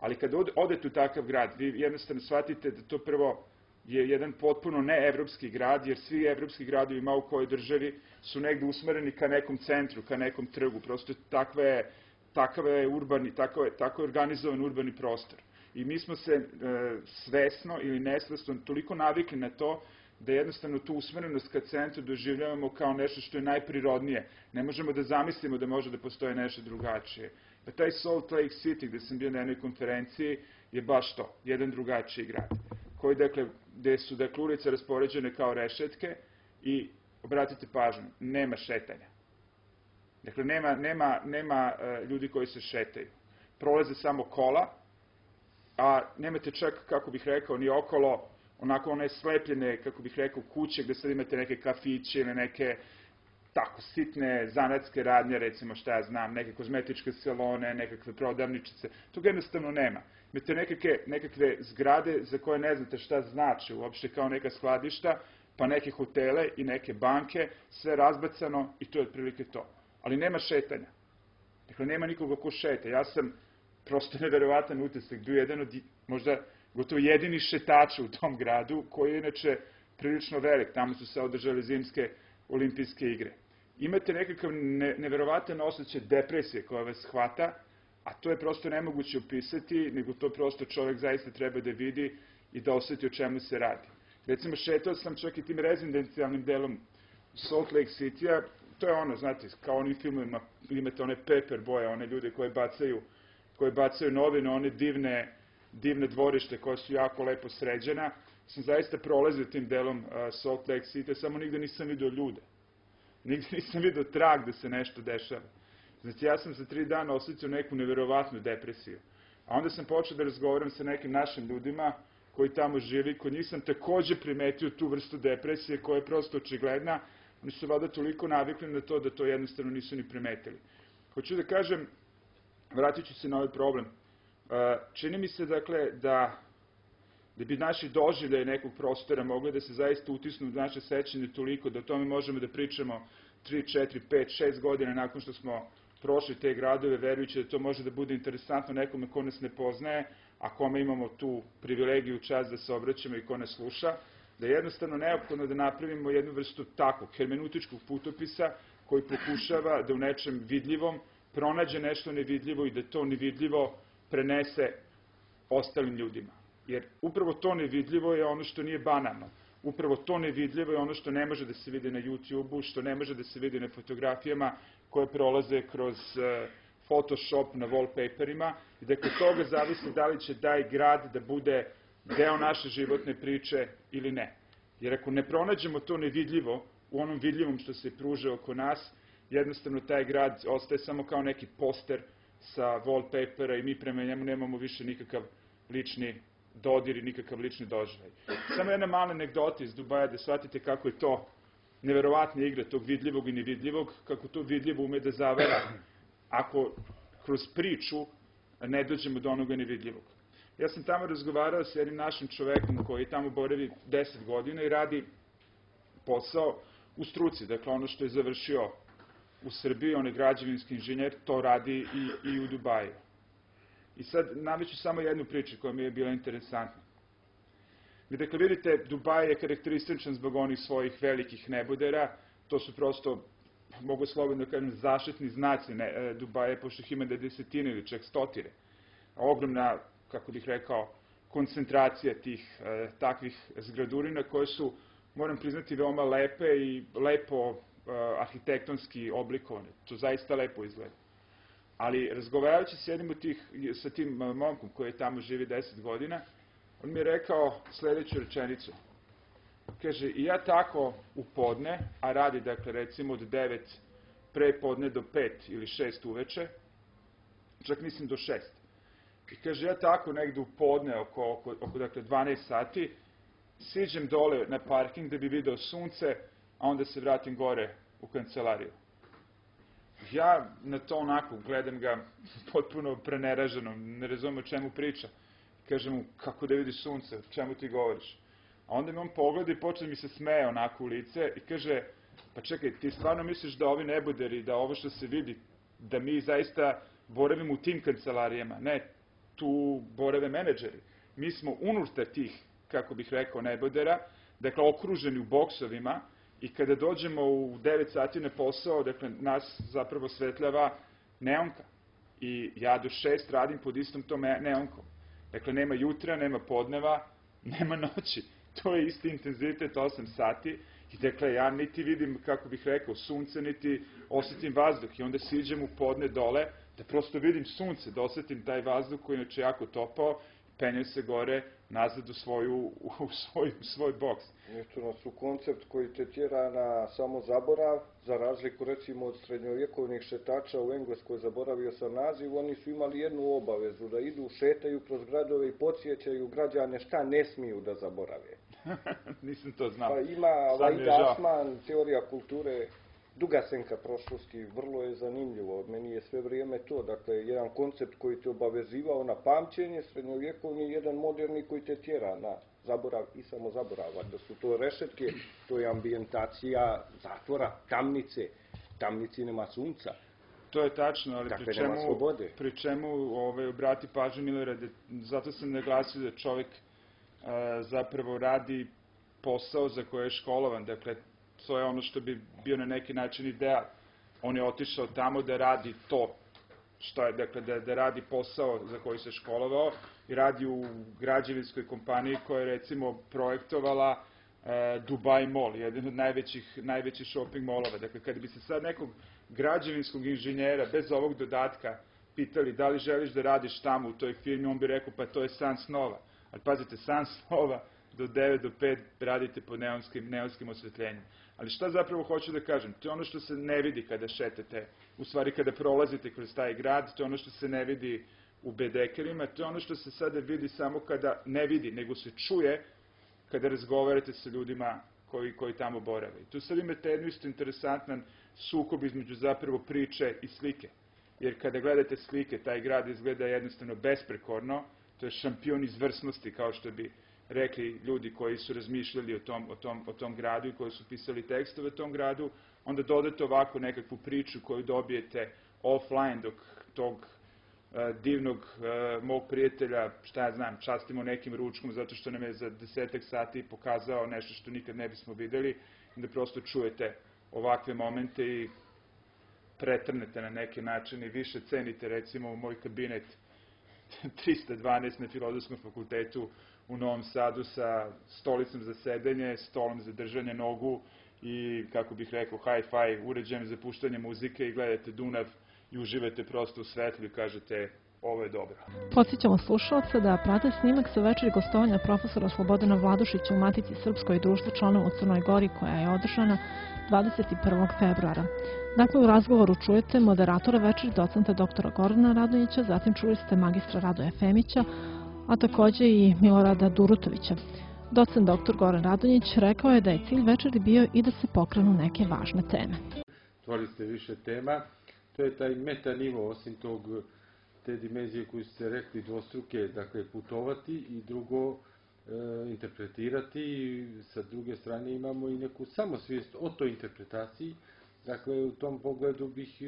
Ali kada odete u takav grad, vi jednostavno shvatite da to prvo je jedan potpuno neevropski grad, jer svi evropski gradovi ima u kojoj državi su negde usmereni ka nekom centru, ka nekom trgu. Prosto takva je, takav je urbani, tako je, tako je organizovan urbani prostor. I mi smo se e, svesno ili nesvesno toliko navikli na to da jednostavno tu usmerenost ka centru doživljavamo kao nešto što je najprirodnije. Ne možemo da zamislimo da može da postoje nešto drugačije. Pa taj Salt Lake City, gde sam bio na jednoj konferenciji, je baš to, jedan drugačiji grad, koji, dakle, gde su, dakle, ulice raspoređene kao rešetke i, obratite pažnju, nema šetanja. Dakle, nema, nema, nema uh, ljudi koji se šetaju. Prolaze samo kola, a nemate čak, kako bih rekao, ni okolo, onako one slepljene, kako bih rekao, kuće gde sad imate neke kafiće ili neke tako sitne zanatske radnje, recimo šta ja znam, neke kozmetičke salone, nekakve prodavničice. Toga jednostavno nema. Imate nekakve, nekakve zgrade za koje ne znate šta znači uopšte kao neka skladišta, pa neke hotele i neke banke, sve razbacano i to je otprilike to. Ali nema šetanja. Dakle, nema nikoga ko šeta. Ja sam prosto neverovatan utisak, bio jedan od, možda gotovo jedini šetača u tom gradu, koji je inače prilično velik. Tamo su se održale zimske olimpijske igre. Imate nekakav ne, neverovatan osjećaj depresije koja vas hvata, a to je prosto nemoguće opisati, nego to prosto čovjek zaista treba da vidi i da osjeti o čemu se radi. Recimo, šetao sam čak i tim rezidencijalnim delom Salt Lake City-a, to je ono, znate, kao onim filmovima, imate one paper boje, one ljude koje bacaju, koje bacaju novine, one divne, divne dvorište koje su jako lepo sređena. Sam zaista prolazio tim delom uh, Salt Lake City, samo nigde nisam vidio ljude. Nigde nisam vidio trag da se nešto dešava. Znači, ja sam za tri dana osjetio neku neverovatnu depresiju. A onda sam počeo da razgovaram sa nekim našim ljudima koji tamo živi, kod njih sam takođe primetio tu vrstu depresije koja je prosto očigledna. Oni su vada toliko navikli na to da to jednostavno nisu ni primetili. Hoću da kažem, vratit ću se na ovaj problem. Čini mi se, dakle, da da bi naši doživljaji nekog prostora mogli da se zaista utisnu u naše sećanje toliko da o tome možemo da pričamo tri, četiri, pet, šest godina nakon što smo prošli te gradove, verujući da to može da bude interesantno nekome ko nas ne poznaje, a kome imamo tu privilegiju, čast da se obraćamo i ko nas sluša, da je jednostavno neophodno da napravimo jednu vrstu takvog hermeneutičkog putopisa koji pokušava da u nečem vidljivom pronađe nešto nevidljivo i da to nevidljivo prenese ostalim ljudima. Jer upravo to nevidljivo je ono što nije banalno. Upravo to nevidljivo je ono što ne može da se vidi na YouTube-u, što ne može da se vidi na fotografijama koje prolaze kroz Photoshop na wallpaperima i da kod toga zavisi da li će taj grad da bude deo naše životne priče ili ne. Jer ako ne pronađemo to nevidljivo u onom vidljivom što se pruže oko nas, jednostavno taj grad ostaje samo kao neki poster sa wallpapera i mi prema njemu nemamo više nikakav lični dodir i nikakav lični doživljaj. Samo jedna mala anegdota iz Dubaja da shvatite kako je to neverovatna igra tog vidljivog i nevidljivog, kako to vidljivo ume da zavera ako kroz priču ne dođemo do onoga nevidljivog. Ja sam tamo razgovarao s jednim našim čovekom koji tamo boravi deset godina i radi posao u struci, dakle ono što je završio u Srbiji, on je građevinski inženjer, to radi i, i u Dubaju. I sad nameću samo jednu priču koja mi je bila interesantna. Dakle, vidite, Dubaj je karakterističan zbog onih svojih velikih nebodera, to su prosto, mogu slobodno kažem, zaštitni znaci ne, Dubaja, pošto ih ima da desetine ili čak stotine. Ogromna, kako bih rekao, koncentracija tih e, takvih zgradurina koje su, moram priznati, veoma lepe i lepo e, arhitektonski oblikovane. To zaista lepo izgleda. Ali razgovarajući s jednim od tih, sa tim momkom koji tamo živi deset godina, on mi je rekao sledeću rečenicu. Kaže, i ja tako u podne, a radi, dakle, recimo od devet pre podne do pet ili šest uveče, čak mislim do šest. I kaže, ja tako negde u podne, oko, oko, oko dakle, dvanaest sati, siđem dole na parking da bi video sunce, a onda se vratim gore u kancelariju. Ja na to onako gledam ga potpuno preneraženo, ne razumem o čemu priča. Kažem mu, kako da vidi sunce, o čemu ti govoriš? A onda mi on pogleda i počne mi se smeje onako u lice i kaže, pa čekaj, ti stvarno misliš da ovi neboderi, da ovo što se vidi, da mi zaista boravimo u tim kancelarijama? Ne, tu borave menadžeri. Mi smo unutar tih, kako bih rekao, nebodera, dakle okruženi u boksovima, i kada dođemo u devet sati na posao, dakle, nas zapravo svetljava neonka. I ja do šest radim pod istom tom neonkom. Dakle, nema jutra, nema podneva, nema noći. To je isti intenzitet osam sati. I dakle, ja niti vidim, kako bih rekao, sunce, niti osjetim vazduh. I onda siđem u podne dole, da prosto vidim sunce, da osjetim taj vazduh koji je jako topao, penjem se gore, nazad u, svoju, u svoj, u svoj boks. Eto nas u koncept koji te tjera na samo zaborav, za razliku recimo od srednjovjekovnih šetača u Engleskoj, zaboravio sam naziv, oni su imali jednu obavezu, da idu, šetaju kroz gradove i podsjećaju građane šta ne smiju da zaborave. Nisam to znao. Pa ima Vaida Asman, teorija kulture, duga senka prošlosti, vrlo je zanimljivo, od meni je sve vrijeme to, dakle, jedan koncept koji te obavezivao na pamćenje, srednjovjekovni, jedan moderni koji te tjera na zaborav i samo zaborav, da su to rešetke, to je ambijentacija zatvora, tamnice, tamnici nema sunca. To je tačno, ali dakle, pri čemu, pri čemu ovaj, obrati pažnju Milorade, zato sam naglasio da čovjek a, zapravo radi posao za koje je školovan, dakle, to je ono što bi bio na neki način ideal. On je otišao tamo da radi to, što je, dakle, da, da radi posao za koji se školovao i radi u građevinskoj kompaniji koja je, recimo, projektovala e, Dubai Mall, jedan od najvećih, najvećih shopping mallova. Dakle, kada bi se sad nekog građevinskog inženjera, bez ovog dodatka, pitali da li želiš da radiš tamo u toj firmi, on bi rekao, pa to je san snova. Ali pazite, san snova, do devet do pet radite pod neonskim, neonskim osvetljenjem. Ali šta zapravo hoću da kažem? To je ono što se ne vidi kada šetate u stvari kada prolazite kroz taj grad, to je ono što se ne vidi u bedekerima, to je ono što se sada vidi samo kada ne vidi, nego se čuje kada razgovarate sa ljudima koji, koji tamo borave. I tu sad imate jednu isto interesantan sukob između zapravo priče i slike. Jer kada gledate slike, taj grad izgleda jednostavno besprekorno, to je šampion izvrsnosti, kao što bi rekli ljudi koji su razmišljali o tom, o tom, o tom gradu i koji su pisali tekstove o tom gradu, onda dodate ovako nekakvu priču koju dobijete offline dok tog uh, divnog uh, mog prijatelja, šta ja znam, častimo nekim ručkom zato što nam je za desetak sati pokazao nešto što nikad ne bismo videli, da prosto čujete ovakve momente i pretrnete na neki način i više cenite recimo u moj kabinet trista dvanaest na Filozofskom fakultetu u Novom Sadu sa stolicom za sedenje, stolom za držanje nogu i, kako bih rekao, hi-fi uređajem za puštanje muzike i gledate Dunav i uživate prosto u svetlu i kažete ovo je dobro. Podsjećamo slušalce da prate snimak sa večeri gostovanja profesora Slobodana Vladušića u Matici Srpskoj društvu članova u Crnoj Gori koja je održana dvadeset prvog februara. Dakle, u razgovoru čujete moderatora večeri docenta doktora Gorana Radonjića, zatim čuli ste magistra Radoja Femića, a takođe i Milorada Durutovića. Docent doktor Goran Radonjić rekao je da je cilj večeri bio i da se pokrenu neke važne teme. Otvorili ste više tema, to je taj meta nivo, osim tog, te dimenzije koju ste rekli dvostruke, dakle putovati i drugo e, interpretirati i sa druge strane imamo i neku samosvijest o toj interpretaciji. Dakle, u tom pogledu bih,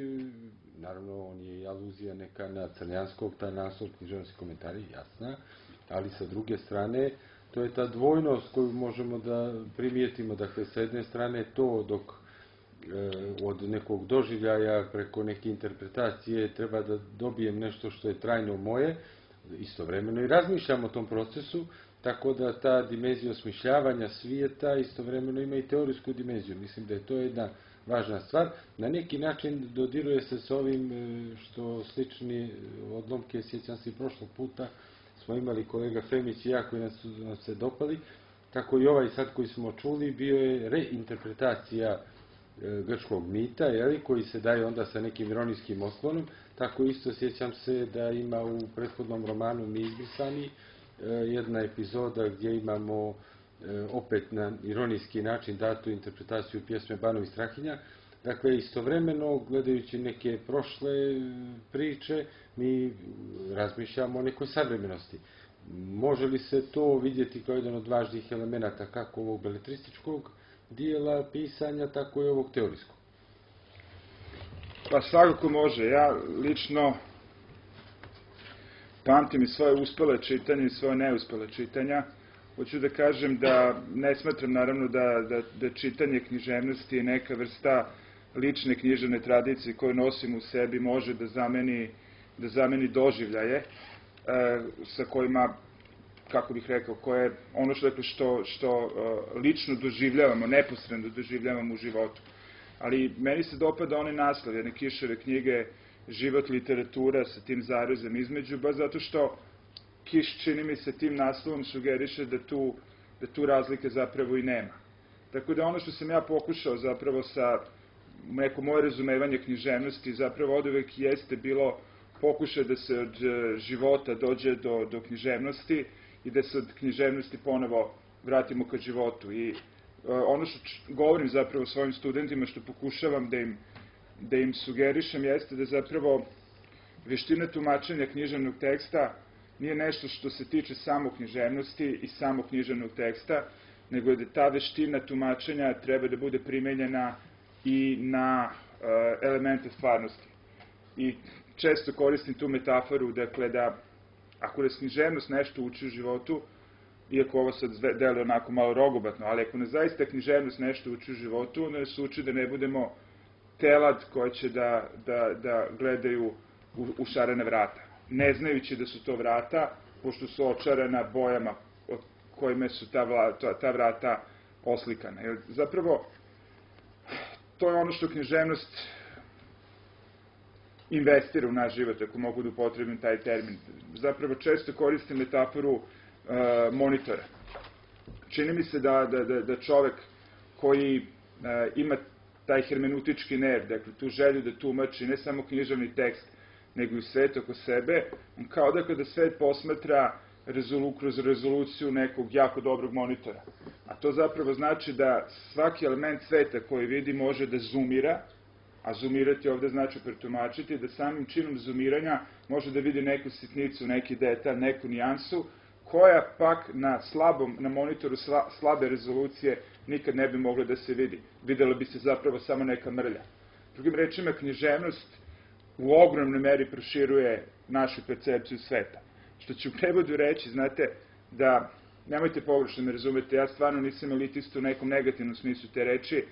naravno, on je i aluzija neka na Crnjanskog, ta naslov, književnosti komentari, jasna, ali sa druge strane, to je ta dvojnost koju možemo da primijetimo. Dakle, sa jedne strane to dok e, od nekog doživljaja preko neke interpretacije treba da dobijem nešto što je trajno moje, istovremeno i razmišljam o tom procesu, tako da ta dimenzija osmišljavanja svijeta istovremeno ima i teorijsku dimenziju. Mislim da je to jedna važna stvar. Na neki način dodiruje se s ovim što slični odlomke, sjećam se i prošlog puta, smo imali kolega Femić i ja koji nas su nam se dopali, tako i ovaj sad koji smo čuli bio je reinterpretacija grčkog mita, jeli, koji se daje onda sa nekim ironijskim osklonom. Tako isto sjećam se da ima u prethodnom romanu Mi izbrisani jedna epizoda gdje imamo opet na ironijski način datu interpretaciju pjesme Banovi Strahinja. Dakle, istovremeno, gledajući neke prošle priče, mi razmišljamo o nekoj savremenosti. Može li se to vidjeti kao jedan od važnijih elemenata kako ovog beletrističkog dijela pisanja, tako i ovog teorijskog? Pa svakako može. Ja lično pamtim i svoje uspele čitanje i svoje neuspele čitanja. Hoću da kažem da ne smatram naravno da, da, da čitanje književnosti je neka vrsta lične književne tradicije koju nosim u sebi može da zameni, da zameni doživljaje e, sa kojima, kako bih rekao, koje ono što, što, što e, lično doživljavamo, neposredno doživljavamo u životu. Ali meni se dopada onaj naslov jedne Kiševe knjige Život literatura sa tim zarezom između, baš zato što Kiš, čini mi se, tim naslovom sugeriše da tu, da tu razlike zapravo i nema. Tako da ono što sam ja pokušao zapravo sa neko moje razumevanje književnosti zapravo od uvek jeste bilo pokušaj da se od života dođe do, do književnosti i da se od književnosti ponovo vratimo ka životu. I uh, ono što govorim zapravo svojim studentima, što pokušavam da im, da im sugerišem, jeste da zapravo veština tumačenja književnog teksta nije nešto što se tiče samo književnosti i samo književnog teksta, nego da ta veština tumačenja treba da bude primenjena i na uh, elemente stvarnosti. I često koristim tu metaforu, dakle, da ako nas književnost nešto uči u životu, iako ovo sad deluje onako malo rogobatno, ali ako nas zaista književnost nešto uči u životu, onda nas uči da ne budemo telad koje će da, da, da gledaju u, u šarena vrata, ne znajući da su to vrata, pošto su očarana bojama od kojima su ta, vla, ta, ta vrata oslikana. Jer zapravo, to je ono što književnost investira u naš život, ako mogu da upotrebim taj termin. Zapravo često koristim metaforu uh, monitora. Čini mi se da, da, da, da čovek koji uh, ima taj hermeneutički nerv, dakle tu želju da tumači ne samo književni tekst, nego i svet oko sebe, on kao da kada svet posmatra rezolu, kroz rezoluciju nekog jako dobrog monitora. A to zapravo znači da svaki element sveta koji vidi može da zoomira, a zoomirati ovde znači pretumačiti, da samim činom zoomiranja može da vidi neku sitnicu, neki detalj, neku nijansu, koja pak na slabom, na monitoru sla, slabe rezolucije nikad ne bi mogla da se vidi. Videla bi se zapravo samo neka mrlja. Drugim rečima, književnost u ogromnoj meri proširuje našu percepciju sveta. Što ću u prevodu reći, znate, da, nemojte pogrešno me razumete, ja stvarno nisam elitist u nekom negativnom smislu te reči,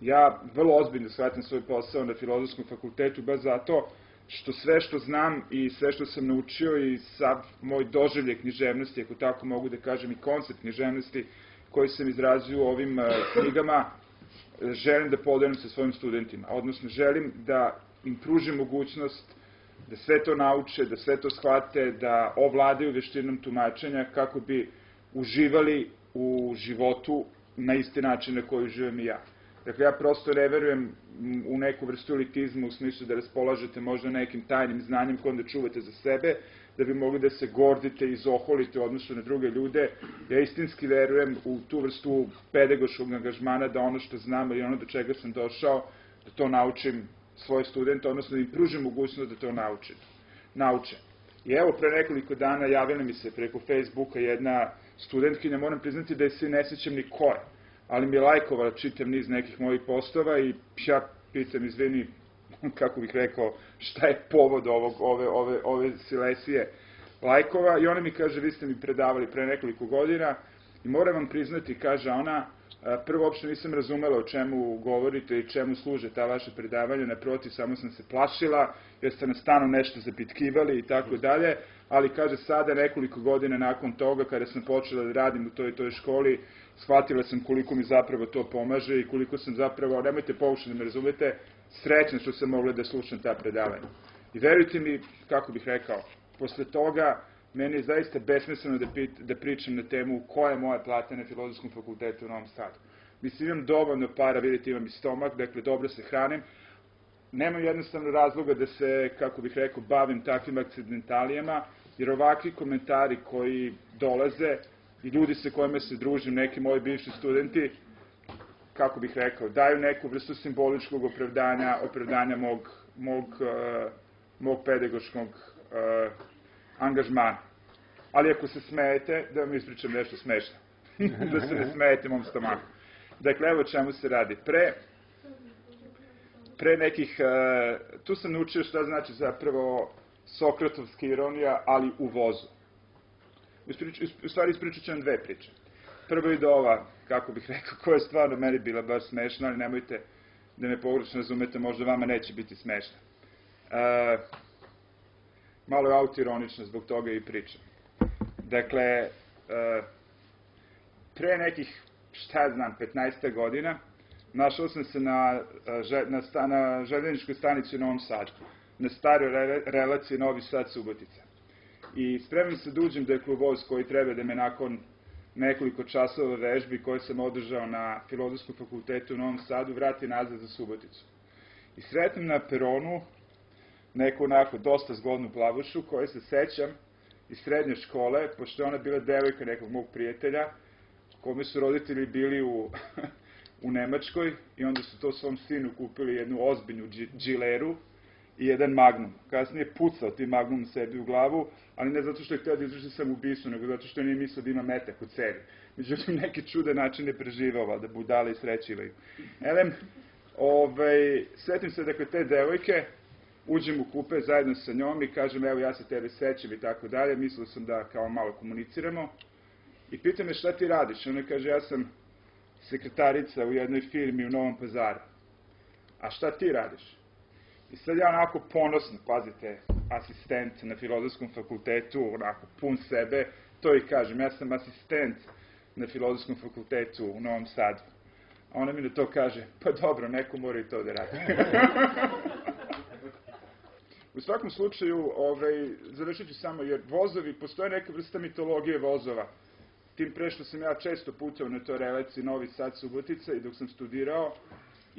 ja vrlo ozbiljno shvatam svoj posao na Filozofskom fakultetu, baš zato što sve što znam i sve što sam naučio i sav moj doživlje književnosti, ako tako mogu da kažem, i koncept književnosti koji sam izrazio u ovim uh, knjigama, želim da podelim sa svojim studentima. Odnosno, želim da im pružim mogućnost da sve to nauče, da sve to shvate, da ovladaju veštinom tumačenja kako bi uživali u životu na isti način na koji uživam i ja. Dakle, ja prosto ne verujem u neku vrstu elitizma u smislu da raspolažete možda nekim tajnim znanjem koje onda čuvate za sebe, da bi mogli da se gordite i izoholite u odnosu na druge ljude. Ja istinski verujem u tu vrstu pedagoškog angažmana da ono što znam ili ono do čega sam došao, da to naučim svoje studente, odnosno da im pružim mogućnost da to nauče. nauče. I evo, pre nekoliko dana javila mi se preko Facebooka jedna studentkinja, moram priznati da je se ne sjećam ni ko je, ali mi je lajkovala čitav niz nekih mojih postova i ja pitam, izvini, kako bih rekao, šta je povod ovog, ove, ove, ove silesije lajkova, i ona mi kaže, vi ste mi predavali pre nekoliko godina i moram vam priznati, kaže ona, prvo uopšte nisam razumela o čemu govorite i čemu služe ta vaša predavanja, naprotiv, samo sam se plašila, jer ste nas stalno nešto zapitkivali i tako dalje, ali kaže sada nekoliko godina nakon toga, kada sam počela da radim u toj toj školi, shvatila sam koliko mi zapravo to pomaže i koliko sam zapravo, nemojte pokušati da me razumete, srećna što sam mogla da slušam ta predavanja. I verujte mi, kako bih rekao, posle toga meni je zaista besmisleno da, pit, da pričam na temu koja je moja plata na Filozofskom fakultetu u Novom Sadu. Mislim, imam dovoljno para, vidite, imam i stomak, dakle, dobro se hranim. Nemam jednostavno razloga da se, kako bih rekao, bavim takvim akcidentalijama, jer ovakvi komentari koji dolaze i ljudi sa kojima se družim, neki moji bivši studenti, kako bih rekao, daju neku vrstu simboličkog opravdanja, opravdanja mog, mog, uh, mog pedagoškog uh, angažmana. Ali ako se smejete, da vam ispričam nešto smešno. Da se ne smejete mom stomaku. Dakle, evo čemu se radi. Pre, pre nekih, uh, tu sam naučio šta znači zapravo sokratovska ironija, ali u vozu. U stvari ispričat ću vam dve priče. Prvo ide ova, kako bih rekao, koja je stvarno meni bila baš smešna, ali nemojte da me pogrešno razumete, možda vama neće biti smešna. Uh, malo je autoironično, zbog toga i pričam. Dakle, uh, pre nekih, šta ja znam, petnaest godina, našao sam se na, na, sta, na željezničkoj stanici u Novom Sadu, na staroj re, relaciji Novi Sad-Subotica. I spremam se da uđem da je klubovoz koji treba da me nakon nekoliko časova vežbi koje sam održao na Filozofskom fakultetu u Novom Sadu vrati nazad za Suboticu. I sretnem na peronu neku onako dosta zgodnu plavušu koju se sećam iz srednje škole, pošto je ona bila devojka nekog mog prijatelja, kome su roditelji bili u, u Nemačkoj i onda su to svom sinu kupili jednu ozbiljnu džileru i jedan magnum. Kasnije pucao ti magnum sebi u glavu, ali ne zato što je htio da izvrši samoubistvo, nego zato što nije mislio da ima metak u cevi. Međutim, neki čude načine preživao, da budale i srećivaju. Elem, ovaj, svetim se, dakle, te devojke, uđem u kupe zajedno sa njom i kažem, evo, ja se tebe sećam i tako dalje, mislio sam da kao malo komuniciramo. I pita me šta ti radiš? Ona kaže, ja sam sekretarica u jednoj firmi u Novom Pazaru. A šta ti radiš? I sad ja onako ponosno, pazite, asistent na Filozofskom fakultetu, onako pun sebe, to i kažem, ja sam asistent na Filozofskom fakultetu u Novom Sadu. A ona mi na to kaže, pa dobro, neko mora i to da radi. U svakom slučaju, ovaj, završit ću samo, jer vozovi, postoje neka vrsta mitologije vozova. Tim pre što sam ja često putao na toj relaciji Novi Sad-Subotica i dok sam studirao,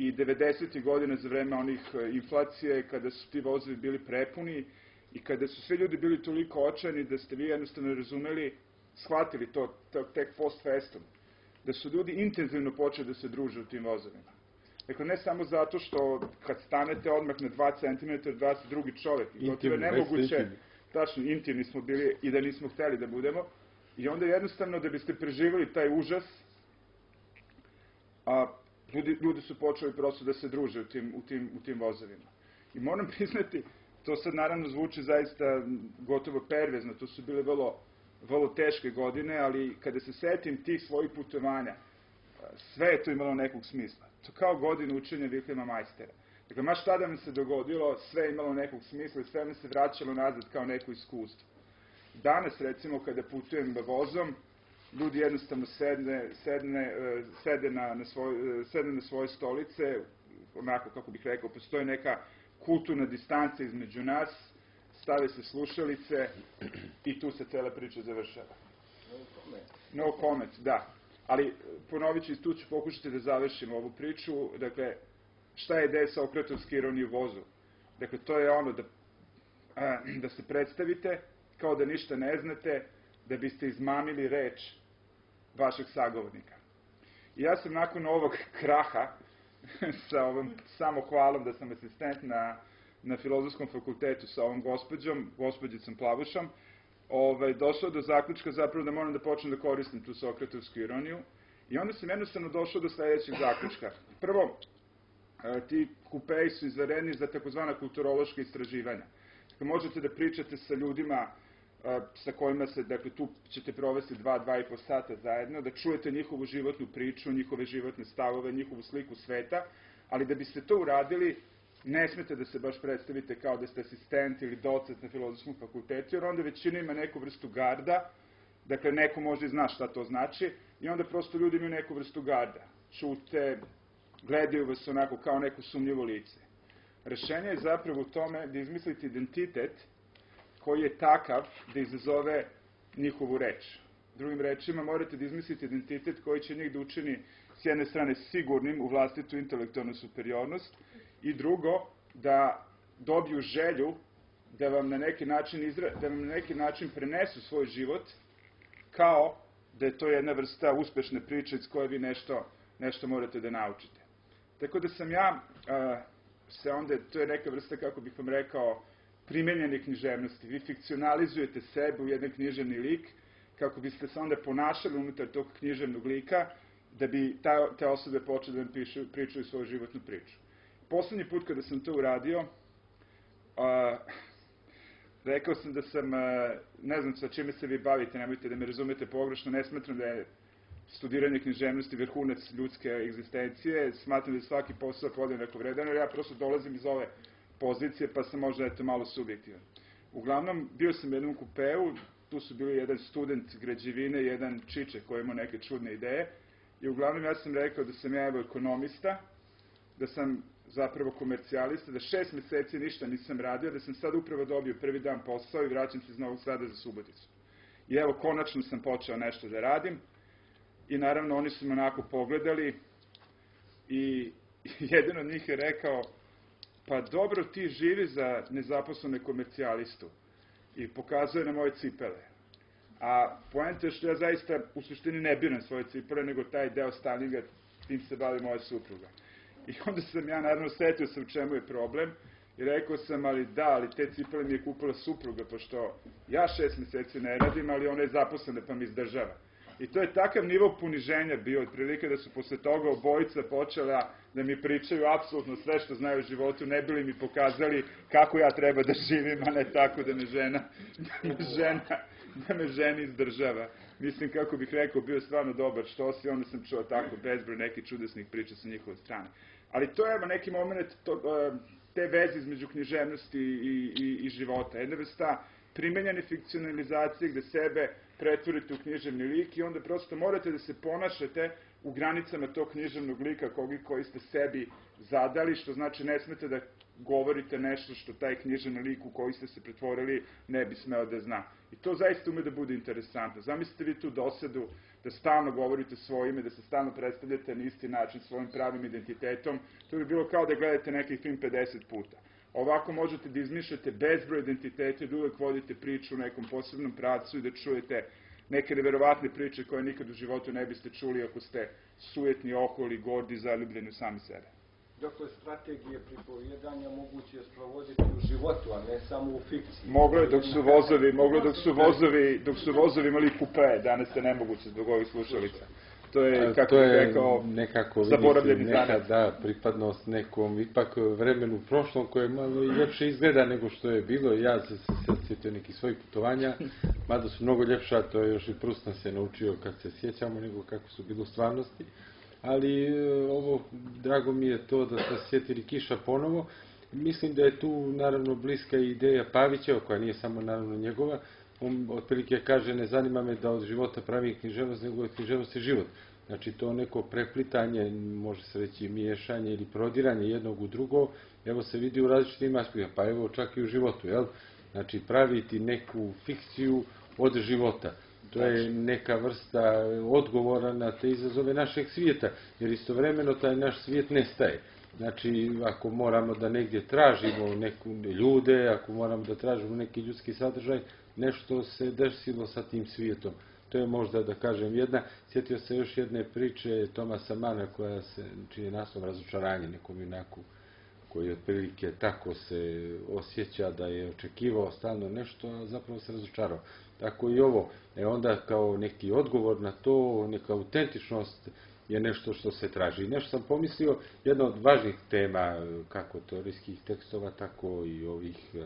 i devedesetih godina za vreme onih inflacije, kada su ti vozovi bili prepuni i kada su svi ljudi bili toliko očajni da ste vi jednostavno razumeli, shvatili to, to tek post festum, da su ljudi intenzivno počeli da se druže u tim vozovima. Dakle, ne samo zato što kad stanete odmah na dva centimetra od vas drugi čovek, i to je nemoguće, tačno, intimni smo bili i da nismo hteli da budemo, i onda jednostavno da biste preživali taj užas, a ljudi, ljudi su počeli prosto da se druže u tim, u tim, u tim vozovima. I moram priznati, to sad naravno zvuči zaista gotovo pervezno, to su bile vrlo, vrlo teške godine, ali kada se setim tih svojih putovanja, sve je to imalo nekog smisla. To kao godinu učenja Vilhelma Majstera. Dakle, ma šta da mi se dogodilo, sve je imalo nekog smisla i sve mi se vraćalo nazad kao neko iskustvo. Danas, recimo, kada putujem vozom, ljudi jednostavno sedne, sedne, sede, na, na svoj, sede na svoje stolice, onako, kako bih rekao, postoji neka kulturna distanca između nas, stave se slušalice i tu se cela priča završava. No comment. No comment, da. Ali, ponovit ću, tu ću pokušati da završim ovu priču. Dakle, šta je ideja sokratovske ironije u vozu? Dakle, to je ono da, da se predstavite kao da ništa ne znate, da biste izmamili reč vašeg sagovornika. I ja sam nakon ovog kraha, sa ovom samohvalom da sam asistent na, na Filozofskom fakultetu sa ovom gospođom, gospođicom Plavušom, ovaj, došao do zaključka zapravo da moram da počnem da koristim tu sokratovsku ironiju. I onda sam jednostavno došao do sledećeg zaključka. Prvo, ti kupeji su izvedeni za takozvana kulturološka istraživanja. Dakle, možete da pričate sa ljudima sa kojima se, dakle, tu ćete provesti dva, dva i po sata zajedno, da čujete njihovu životnu priču, njihove životne stavove, njihovu sliku sveta, ali da biste to uradili, ne smete da se baš predstavite kao da ste asistent ili docent na Filozofskom fakultetu, jer onda većina ima neku vrstu garda, dakle, neko možda i zna šta to znači, i onda prosto ljudi imaju neku vrstu garda. Čute, gledaju vas onako kao neko sumnjivo lice. Rešenje je zapravo u tome da izmislite identitet koji je takav da izazove njihovu reč. Drugim rečima, morate da izmislite identitet koji će njih da učini s jedne strane sigurnim u vlastitu intelektualnu superiornost i drugo, da dobiju želju da vam na neki način, izra... da vam na neki način prenesu svoj život kao da je to jedna vrsta uspešne priče iz koje vi nešto, nešto morate da naučite. Tako da sam ja, a, se onda, to je neka vrsta, kako bih vam rekao, primenjene književnosti. Vi fikcionalizujete sebe u jedan književni lik, kako biste se onda ponašali unutar tog književnog lika, da bi ta, te osobe počeli da vam pišu, pričaju svoju životnu priču. Poslednji put kada sam to uradio, a, rekao sam da sam, a, ne znam sa čime se vi bavite, nemojte da me razumete pogrešno, ne smatram da je studiranje književnosti vrhunac ljudske egzistencije, smatram da je svaki posao podjednako vredan, jer ja prosto dolazim iz ove pozicije, pa sam možda eto malo subjektivan. Uglavnom, bio sam u jednom kupeu, tu su bili jedan student građevine, jedan čiče koji ima neke čudne ideje, i uglavnom ja sam rekao da sam ja evo ekonomista, da sam zapravo komercijalista, da šest meseci ništa nisam radio, da sam sad upravo dobio prvi dan posao i vraćam se iz Novog Sada za Suboticu. I evo, konačno sam počeo nešto da radim, i naravno oni su me onako pogledali i jedan od njih je rekao, pa dobro, ti živi za nezaposlene komercijalistu, i pokazuje na moje cipele. A poenta je što ja zaista u suštini ne biram svoje cipele, nego taj deo stylinga, tim se bavi moja supruga. I onda sam ja naravno setio sam u čemu je problem i rekao sam, ali da, ali te cipele mi je kupila supruga, pošto ja šest meseci ne radim, ali ona je zaposlena pa mi izdržava. I to je takav nivo poniženja bio, otprilike da su posle toga obojica počela da mi pričaju apsolutno sve što znaju o životu, ne bili mi pokazali kako ja treba da živim, a ne tako da me žena, da me žena, da me žena izdržava. Mislim, kako bih rekao, bio je stvarno dobar štos i onda sam čuo tako bezbroj nekih čudesnih priča sa njihove strane. Ali to je neki moment to, te veze između književnosti i, i, i života. Jedna vrsta primenjene fikcionalizacije gde sebe pretvorite u književni lik i onda prosto morate da se ponašate u granicama tog književnog lika koji, koji ste sebi zadali, što znači ne smete da, govorite nešto što taj književni lik u koji ste se pretvorili ne bi smeo da zna. I to zaista ume da bude interesantno. Zamislite vi tu dosadu da stalno govorite svoje ime, da se stalno predstavljate na isti način svojim pravim identitetom. To bi bilo kao da gledate neki film pedeset puta. Ovako možete da izmišljate bezbroj identiteta i da uvek vodite priču u nekom posebnom pravcu i da čujete neke neverovatne priče koje nikad u životu ne biste čuli ako ste sujetni, oholi, gordi, zaljubljeni u sami sebe. Dakle, strategije pripovijedanja moguće je sprovoditi u životu, a ne samo u fikciji. Moglo je dok su vozovi, moglo je dok su vozovi, dok su vozovi imali kupe, danas je nemoguće zbog ovih slušalica. To je, kako bih rekao, zaboravljeni zanat. Neka, da, pripadnost nekom ipak vremenu prošlom koje malo i ljepše izgleda nego što je bilo. Ja se sjetio nekih svojih putovanja, mada su mnogo ljepša, to je još i Prust nam se naučio kad se sjećamo nego kako su bilo u stvarnosti. Ali ovo, drago mi je to da se sjetili Kiša ponovo. Mislim da je tu naravno bliska ideja Pavićeva, koja nije samo naravno njegova. On otprilike kaže, ne zanima me da od života pravi književnost, nego od književnosti život. Znači to neko preplitanje, može se reći miješanje ili prodiranje jednog u drugo, evo se vidi u različitim aspektima, pa evo čak i u životu, jel? Znači praviti neku fikciju od života. To je neka vrsta odgovora na te izazove našeg svijeta, jer istovremeno taj naš svijet nestaje. Znači, ako moramo da negdje tražimo neku ljude, ako moramo da tražimo neki ljudski sadržaj, nešto se desilo sa tim svijetom. To je možda, da kažem, jedna. Sjetio se još jedne priče Tomasa Mana, koja se, čiji je naslov Razočaranje, nekom junaku, koji otprilike tako se osjeća da je očekivao stalno nešto, a zapravo se razočarao. Tako i ovo. E onda kao neki odgovor na to, neka autentičnost je nešto što se traži. I nešto sam pomislio, jedna od važnih tema, kako teorijskih tekstova, tako i ovih e,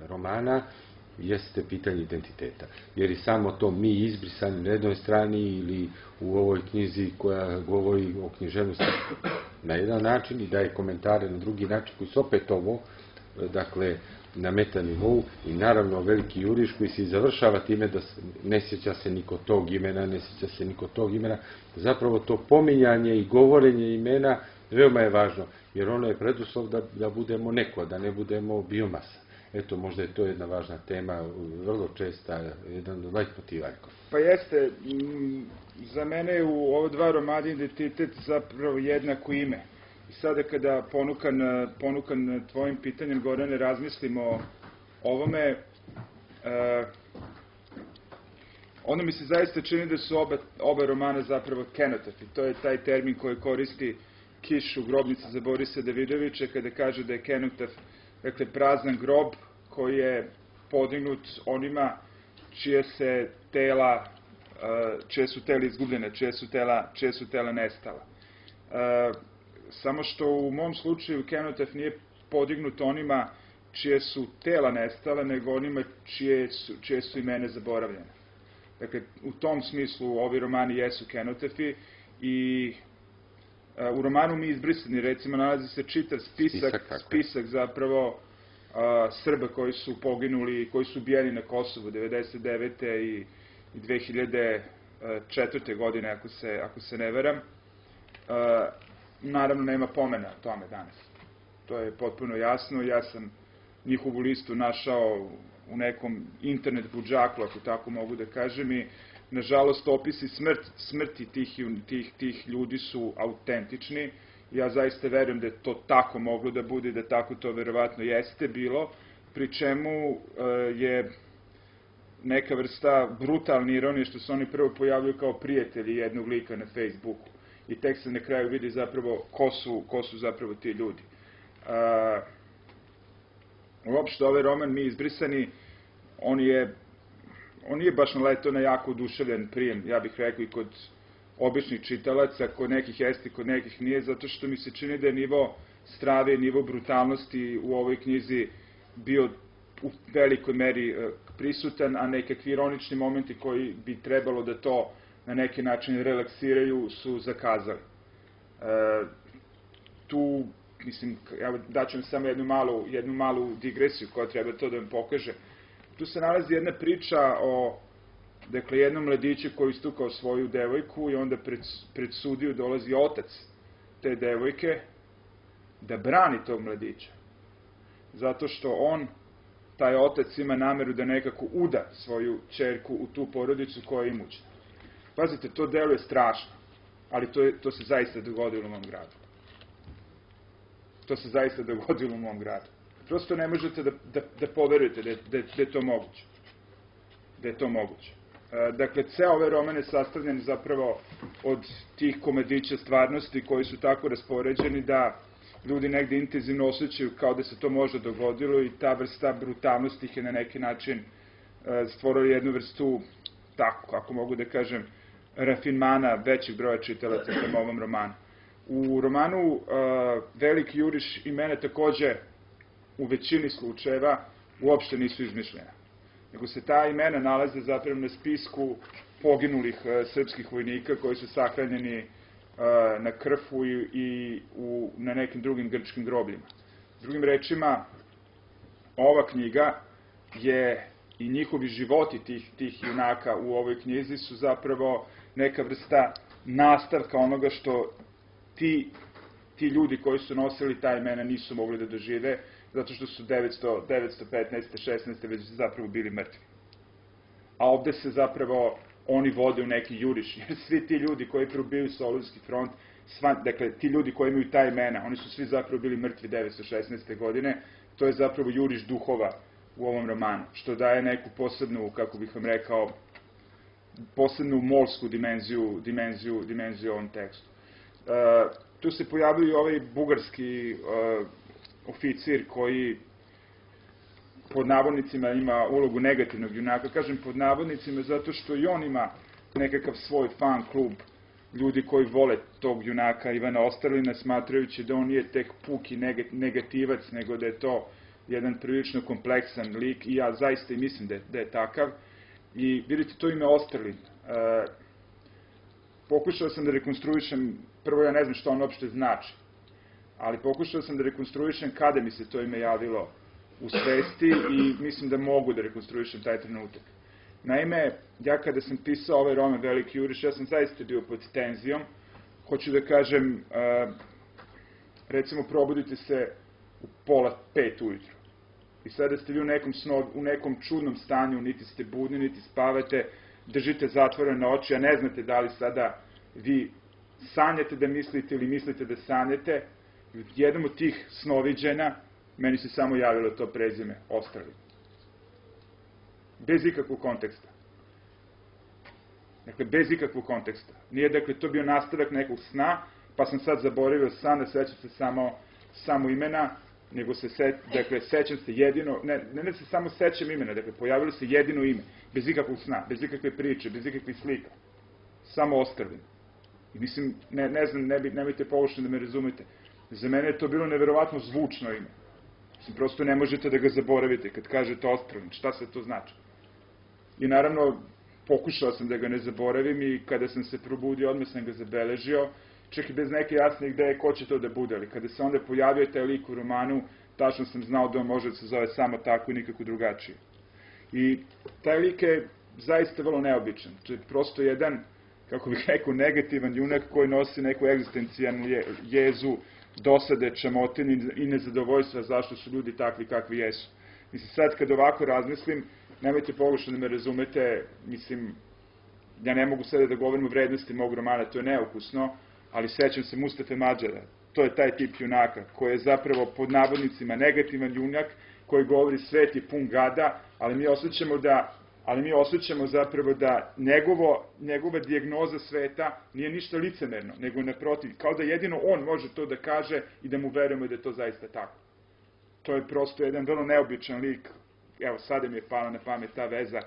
romana, jeste pitanje identiteta. Jer i samo to mi izbrisani na jednoj strani ili u ovoj knjizi koja govori o književnosti na jedan način i daje komentare na drugi način koji su opet ovo, dakle, na metanivou i naravno veliki juriš koji se završava time da ne sjeća se niko tog imena, ne sjeća se niko tog imena. Zapravo to pominjanje i govorenje imena veoma je važno, jer ono je preduslov da, da budemo neko, da ne budemo biomasa. Eto, možda je to jedna važna tema, vrlo česta, jedan od leitmotiva. Pa jeste, za mene je u ovo dva romana identitet zapravo jednako ime. I sada kada ponukan, ponukan tvojim pitanjem, Gorane, razmislimo o ovome, uh, ono mi se zaista čini da su oba, oba romana zapravo kenotafi. To je taj termin koji koristi Kiš u Grobnici za Borisa Davidovića kada kaže da je kenotaf, dakle, prazan grob koji je podignut onima čije se tela, čije su tela izgubljene, čije su tela, čije su tela nestala. Samo što u mom slučaju kenotaf nije podignut onima čije su tela nestala, nego onima čije su, čije su imene zaboravljene. Dakle, u tom smislu ovi romani jesu kenotafi i u romanu Mi izbrisani, recimo, nalazi se čitav spisak, spisak, spisak zapravo a, Srba koji su poginuli, koji su ubijeni na Kosovu devedeset devete i dve hiljade četvrte godine, ako se, ako se ne veram. A, naravno, nema pomena o tome danas. To je potpuno jasno. Ja sam njihovu listu našao u nekom internet budžaku, ako tako mogu da kažem, i nažalost opisi smrt, smrti tih, tih, tih ljudi su autentični. Ja zaista verujem da je to tako moglo da bude, da tako to verovatno jeste bilo, pri čemu je neka vrsta brutalne ironije što se oni prvo pojavljaju kao prijatelji jednog lika na Facebooku i tek se na kraju vidi zapravo ko su, ko su zapravo ti ljudi. Uh, uopšte ovaj roman Mi izbrisani, on je on nije baš naletao na jako oduševljen prijem, ja bih rekao, i kod običnih čitalaca, kod nekih jeste, kod nekih nije, zato što mi se čini da je nivo strave, nivo brutalnosti u ovoj knjizi bio u velikoj meri prisutan, a nekakvi ironični momenti koji bi trebalo da to na neki način relaksiraju su zakazali. E, tu, mislim, evo, daću vam samo jednu malu, jednu malu digresiju koja treba to da vam pokaže. Tu se nalazi jedna priča o, dakle, jednom mladiću koji istukao svoju devojku i onda pred, pred sudiju dolazi otac te devojke da brani tog mladića. Zato što on, taj otac, ima nameru da nekako uda svoju ćerku u tu porodicu koja je imućna. Pazite, to deluje strašno, ali to, je, to se zaista dogodilo u mom gradu. To se zaista dogodilo u mom gradu. Prosto ne možete da, da, da poverujete da je, da, da je to moguće. Da je to moguće. E, dakle, ceo ovaj roman je sastavljen zapravo od tih komadića stvarnosti koji su tako raspoređeni da ljudi negde intenzivno osjećaju kao da se to može dogodilo i ta vrsta brutalnosti ih je na neki način e, stvorila jednu vrstu, tako, kako mogu da kažem, rafinmana većeg broja čitalaca prema ovom romanu. U romanu uh, Veliki juriš imena takođe u većini slučajeva uopšte nisu izmišljena. Nego se ta imena nalaze zapravo na spisku poginulih uh, srpskih vojnika koji su sahranjeni uh, na Krfu i, i u, na nekim drugim grčkim grobljima. Drugim rečima, ova knjiga je i njihovi životi tih, tih junaka u ovoj knjizi su zapravo neka vrsta nastavka onoga što ti, ti ljudi koji su nosili ta imena nisu mogli da dožive, zato što su devetsto, devetsto petnaeste, šesnaeste već zapravo bili mrtvi. A ovde se zapravo oni vode u neki juriš, jer svi ti ljudi koji probiju Solunski front, sva, dakle, ti ljudi koji imaju ta imena, oni su svi zapravo bili mrtvi devetsto šesnaeste godine, to je zapravo juriš duhova u ovom romanu, što daje neku posebnu, kako bih vam rekao, posebnu morsku dimenziju, dimenziju, dimenziju ovom tekstu. Uh, tu se pojavljaju i ovaj bugarski uh, oficir koji pod navodnicima ima ulogu negativnog junaka. Kažem pod navodnicima zato što i on ima nekakav svoj fan klub ljudi koji vole tog junaka Ivana Osterlina, smatrajući da on nije tek puki negativac, nego da je to jedan prilično kompleksan lik i ja zaista i mislim da je, da je takav. I vidite, to ime Osterlin. Uh, pokušao sam da rekonstruišem, prvo ja ne znam što on uopšte znači, ali pokušao sam da rekonstruišem kada mi se to ime javilo u svesti i mislim da mogu da rekonstruišem taj trenutak. Naime, ja kada sam pisao ovaj roman Veliki juriš, ja sam zaista bio pod tenzijom. Hoću da kažem, uh, recimo, probudite se u pola pet ujutru. I sada ste vi u nekom, sno, u nekom čudnom stanju, niti ste budni, niti spavate, držite zatvorene oči, a ne znate da li sada vi sanjate da mislite ili mislite da sanjate. I u jednom od tih snoviđena meni se samo javilo to prezime Osterlin. Bez ikakvog konteksta. Dakle, bez ikakvog konteksta. Nije, dakle, to bio nastavak nekog sna, pa sam sad zaboravio san, da sećam se samo, samo imena, nego se, se, dakle, sećam se jedino, ne, ne, ne se samo sećam imena, dakle, pojavilo se jedino ime, bez ikakvog sna, bez ikakve priče, bez ikakvih slika. Samo Osterlin. I mislim, ne, ne znam, ne, nemojte pogrešno da me razumete. Za mene je to bilo neverovatno zvučno ime. Mislim, prosto ne možete da ga zaboravite kad kažete Osterlin, šta se to znači? I naravno, pokušao sam da ga ne zaboravim i kada sam se probudio, odmah sam ga zabeležio, čak i bez neke jasne ideje ko će to da bude, ali kada se onda pojavio taj lik u romanu, tačno sam znao da on može da se zove samo tako i nikako drugačije. I taj lik je zaista vrlo neobičan. To je prosto jedan, kako bih rekao, negativan junak koji nosi neku egzistencijalnu jezu, dosade, čamotine i nezadovoljstva zašto su ljudi takvi kakvi jesu. Mislim, sad kad ovako razmislim, nemojte pogrešno da me razumete, mislim, ja ne mogu sada da govorim o vrednosti mog romana, to je neukusno, ali sećam se Mustafe Madžara, to je taj tip junaka, koji je zapravo pod navodnicima negativan junak, koji govori svet je pun gada, ali mi osjećamo da, ali mi osjećamo zapravo da njegovo, njegova dijagnoza sveta nije ništa licemerno, nego naprotiv, kao da jedino on može to da kaže i da mu verujemo da je to zaista tako. To je prosto jedan vrlo neobičan lik. Evo, sada mi je pala na pamet ta veza,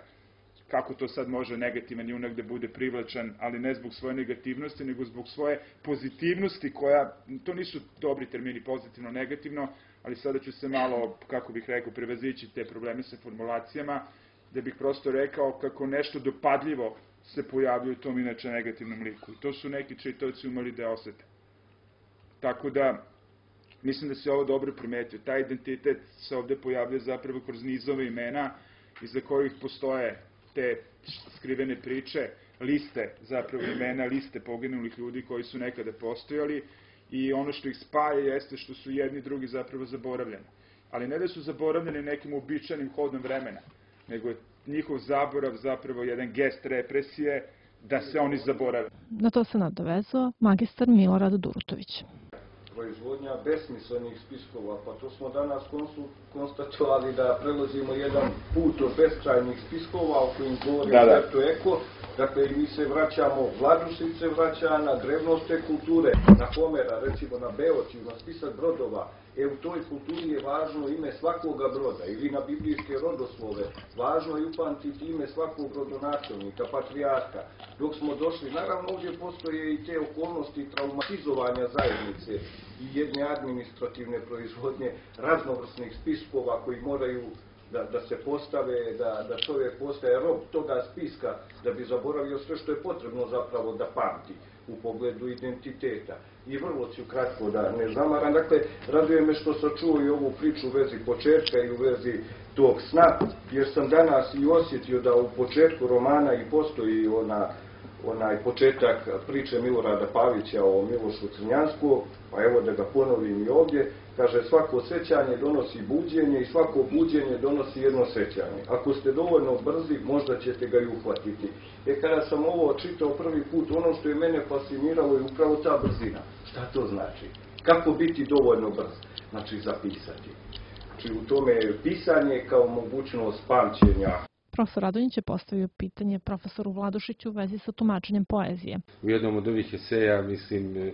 kako to sad može negativan junak da bude privlačan, ali ne zbog svoje negativnosti, nego zbog svoje pozitivnosti koja, to nisu dobri termini, pozitivno, negativno, ali sada ću se malo, kako bih rekao, prevazići te probleme sa formulacijama, da bih prosto rekao kako nešto dopadljivo se pojavljuje u tom inače negativnom liku. I to su neki čitaoci umeli da osete. Tako da, mislim da se ovo dobro primetio. Taj identitet se ovde pojavlja zapravo kroz nizove imena iza kojih postoje te skrivene priče, liste zapravo imena, liste poginulih ljudi koji su nekada postojali i ono što ih spaja jeste što su jedni drugi zapravo zaboravljeni. Ali ne da su zaboravljeni nekim uobičajenim hodom vremena, nego je njihov zaborav zapravo jedan gest represije da se oni zaborave. Na to se nadovezao magistar Milorad Durutović. Proizvodnja besmislenih spiskova, pa to smo danas konstatovali da prelazimo jedan put od beskrajnih spiskova o kojim govori Umberto Eco. Dakle, i mi se vraćamo, Vladušić se vraća na drevnost te kulture, na Homera, recimo na Beočiju, na spisak brodova. E, u toj kulturi je važno ime svakoga broda, ili na biblijske rodoslove. Važno je upamtiti ime svakog rodonačelnika, patrijarha. Dok smo došli, naravno ovdje postoje i te okolnosti traumatizovanja zajednice i jedne administrativne proizvodnje raznovrsnih spiskova koji moraju Da, da se postave, da, da čovjek postaje rob toga spiska, da bi zaboravio sve što je potrebno zapravo da pamti u pogledu identiteta. I vrlo ću kratko da ne zamaram. Dakle, raduje me što sam čuo i ovu priču u vezi početka i u vezi tog sna, jer sam danas i osjetio da u početku romana i postoji ona onaj početak priče Milorada Pavića o Milošu Crnjansku, pa evo da ga ponovim i ovdje, kaže svako sećanje donosi buđenje i svako buđenje donosi jedno sećanje. Ako ste dovoljno brzi, možda ćete ga i uhvatiti. E kada sam ovo čitao prvi put, ono što je mene fasciniralo je upravo ta brzina. Šta to znači? Kako biti dovoljno brz? Znači zapisati. Znači u tome je pisanje kao mogućnost pamćenja. Profesor Radonjić je postavio pitanje profesoru Vladušiću u vezi sa tumačenjem poezije. U jednom od ovih eseja, mislim,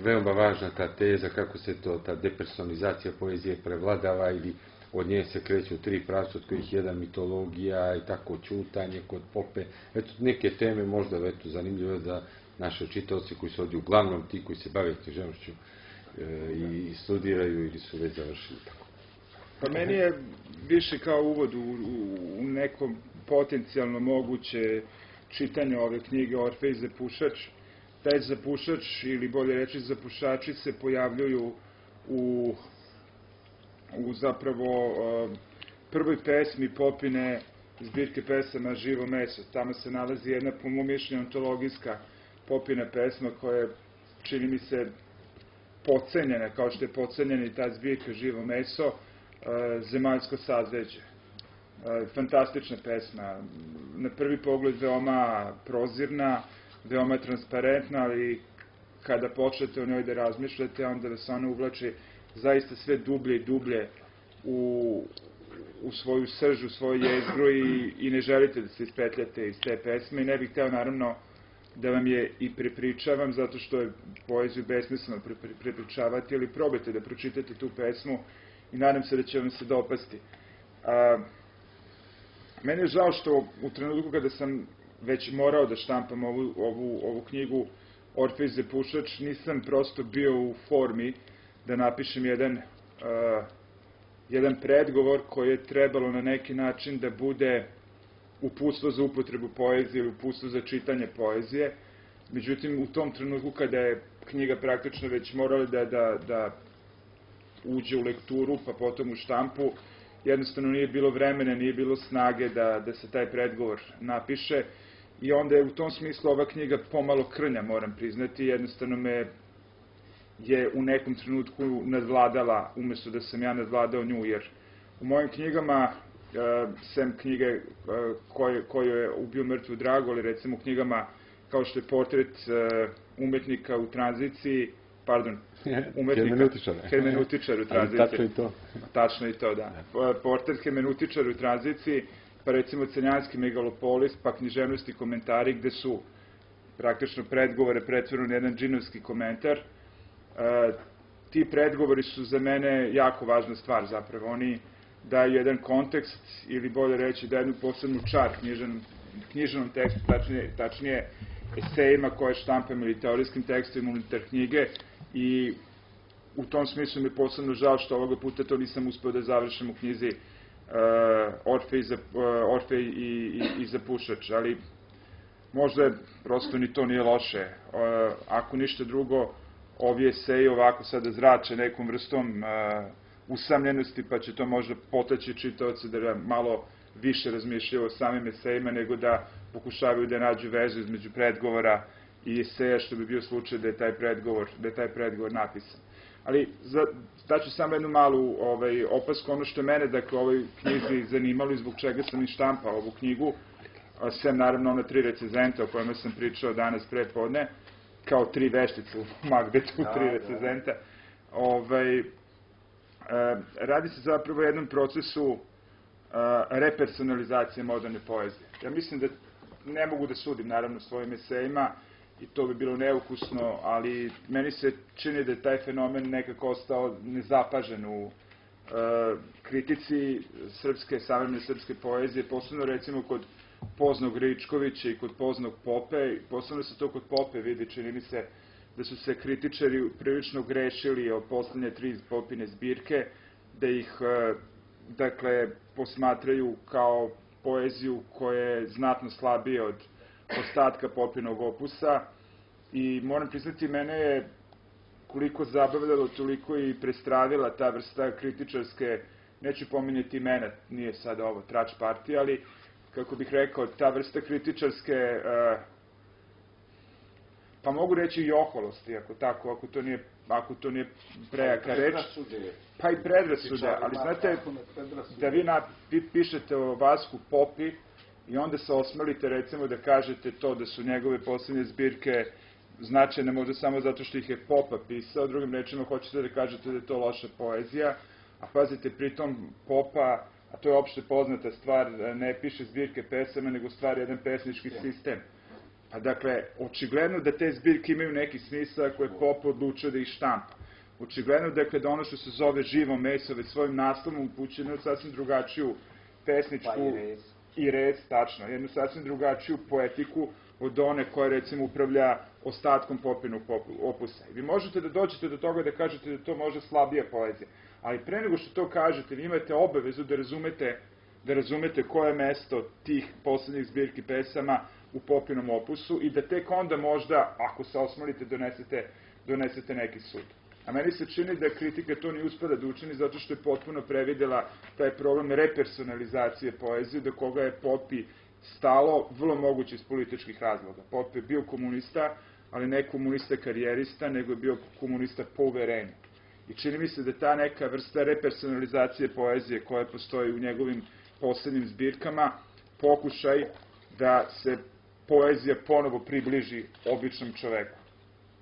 veoma važna ta teza kako se to, ta depersonalizacija poezije prevladava ili od nje se kreću tri pravca, od kojih jedan mitologija i tako čutanje kod Pope. Eto, neke teme možda eto, zanimljive za naše čitaoci koji su ovdje uglavnom ti koji se bave književnošću i studiraju ili su već završili tako. Pa meni je više kao uvod u, u, u nekom potencijalno moguće čitanje ove knjige Orfej i Zapušač. Taj zapušač, ili bolje reći zapušači, se pojavljuju u, u zapravo uh, prvoj pesmi Popine zbirke pesama Živo meso. Tamo se nalazi jedna, po mom mišljenju, antologijska Popina pesma koja je, čini mi se, podcenjena, kao što je podcenjena i ta zbirka Živo meso, Zemaljsko sazveđe. Fantastična pesma, na prvi pogled veoma prozirna, veoma transparentna, ali kada počnete o njoj da razmišljate, onda da se ona uvlači zaista sve dublje i dublje u, u svoju srž, u svoju jezgru i, i ne želite da se ispetljate iz te pesme. I ne bih hteo naravno da vam je i prepričavam, zato što je poeziju besmisleno pre, pre, prepričavati, ali probajte da pročitate tu pesmu i nadam se da će vam se dopasti. A, meni je žao što u trenutku kada sam već morao da štampam ovu, ovu, ovu knjigu Orfej i Zapušač, nisam prosto bio u formi da napišem jedan, a, jedan predgovor koji je trebalo na neki način da bude uputstvo za upotrebu poezije ili uputstvo za čitanje poezije. Međutim, u tom trenutku kada je knjiga praktično već morala da, da, da uđe u lekturu, pa potom u štampu, jednostavno nije bilo vremena, nije bilo snage da, da se taj predgovor napiše i onda je u tom smislu ova knjiga pomalo krnja, moram priznati, jednostavno me je u nekom trenutku nadvladala, umjesto da sam ja nadvladao nju, jer u mojim knjigama, uh, sem knjige uh, koje, koje je Ubio mrtvu dragu, ali recimo u knjigama kao što je Portret uh, umetnika u tranziciji, pardon, umetnika, hermenutičar u tranziciji. Tačno i to. Tačno i to, da. Portret hermenutičar u tranziciji, pa recimo Crnjanski megalopolis, pa književnosti komentari gde su praktično predgovore pretvorili na jedan džinovski komentar. E, ti predgovori su za mene jako važna stvar zapravo. Oni daju jedan kontekst ili bolje reći da jednu posebnu čar književnom, književnom tekstu, tačnije, tačnije esejima koje štampam ili teorijskim tekstovima unutar knjige i u tom smislu mi je posebno žao što ovoga puta to nisam uspeo da završim u knjizi uh, Orfej, za, uh, Orfej i, i, i Zapušač, ali možda prosto ni to nije loše. Uh, ako ništa drugo, ovi eseji ovako sada zrače nekom vrstom uh, usamljenosti, pa će to možda potaći čitaoce da malo više razmišljaju o samim esejima, nego da pokušavaju da nađu vezu između predgovora i eseja, što bi bio slučaj da je taj predgovor, da je taj predgovor napisan. Ali za, daću samo jednu malu ovaj, opasku, ono što je mene, dakle, ovoj knjizi zanimalo i zbog čega sam i štampao ovu knjigu, sem naravno ona tri recenzenta o kojima sam pričao danas pre podne, kao tri veštice u Magbetu, tri recenzenta. Ovaj, radi se zapravo o jednom procesu repersonalizacije moderne poezije. Ja mislim da ne mogu da sudim, naravno, svojim esejima, i to bi bilo neukusno, ali meni se čini da je taj fenomen nekako ostao nezapažen u kritici srpske, savremene srpske poezije, posebno recimo kod Poznog Ričkovića i kod Poznog Pope. Posebno se to kod Pope vidi, čini mi se da su se kritičari prilično grešili o poslednje tri Popine zbirke, da ih, dakle, posmatraju kao poeziju koja je znatno slabije od ostatka Popinog opusa. I moram priznati, mene je koliko zabavljalo, toliko i prestravila ta vrsta kritičarske, neću pominjati imena, nije sad ovo trač partija, ali kako bih rekao, ta vrsta kritičarske, pa mogu reći i oholosti, ako tako, ako to nije, ako to nije prejaka reč. Pa i predrasude, ali znate, da vi, na, vi pišete o Vasku Popi i onda se osmelite, recimo, da kažete to da su njegove poslednje zbirke značajne možda samo zato što ih je Popa pisao, drugim rečima hoćete da kažete da je to loša poezija, a pazite, pritom Popa, a to je opšte poznata stvar, ne piše zbirke pesama, nego stvar jedan pesnički sistem. Pa dakle, očigledno da te zbirke imaju neki smisao ako je Popa odlučio da ih štampa. Očigledno dakle, da ono što se zove Živo meso već svojim naslovom upućeno je sasvim drugačiju pesničku pa i, i rez, tačno, jednu sasvim drugačiju poetiku od one koja recimo upravlja ostatkom Popinog opusa. I vi možete da dođete do toga da kažete da to može slabija poezija, ali pre nego što to kažete, vi imate obavezu da razumete, da razumete koje je mesto tih poslednjih zbirki pesama u Popinom opusu i da tek onda možda, ako se osmalite, donesete, donesete neki sud. A meni se čini da kritika to nije uspela da učini zato što je potpuno previdela taj problem repersonalizacije poezije, do koga je Popi stalo, vrlo moguće iz političkih razloga. Popi je bio komunista, ali ne komunista karijerista, nego je bio komunista po uverenju. I čini mi se da ta neka vrsta repersonalizacije poezije koja postoji u njegovim poslednjim zbirkama, pokušaj da se poezija ponovo približi običnom čoveku,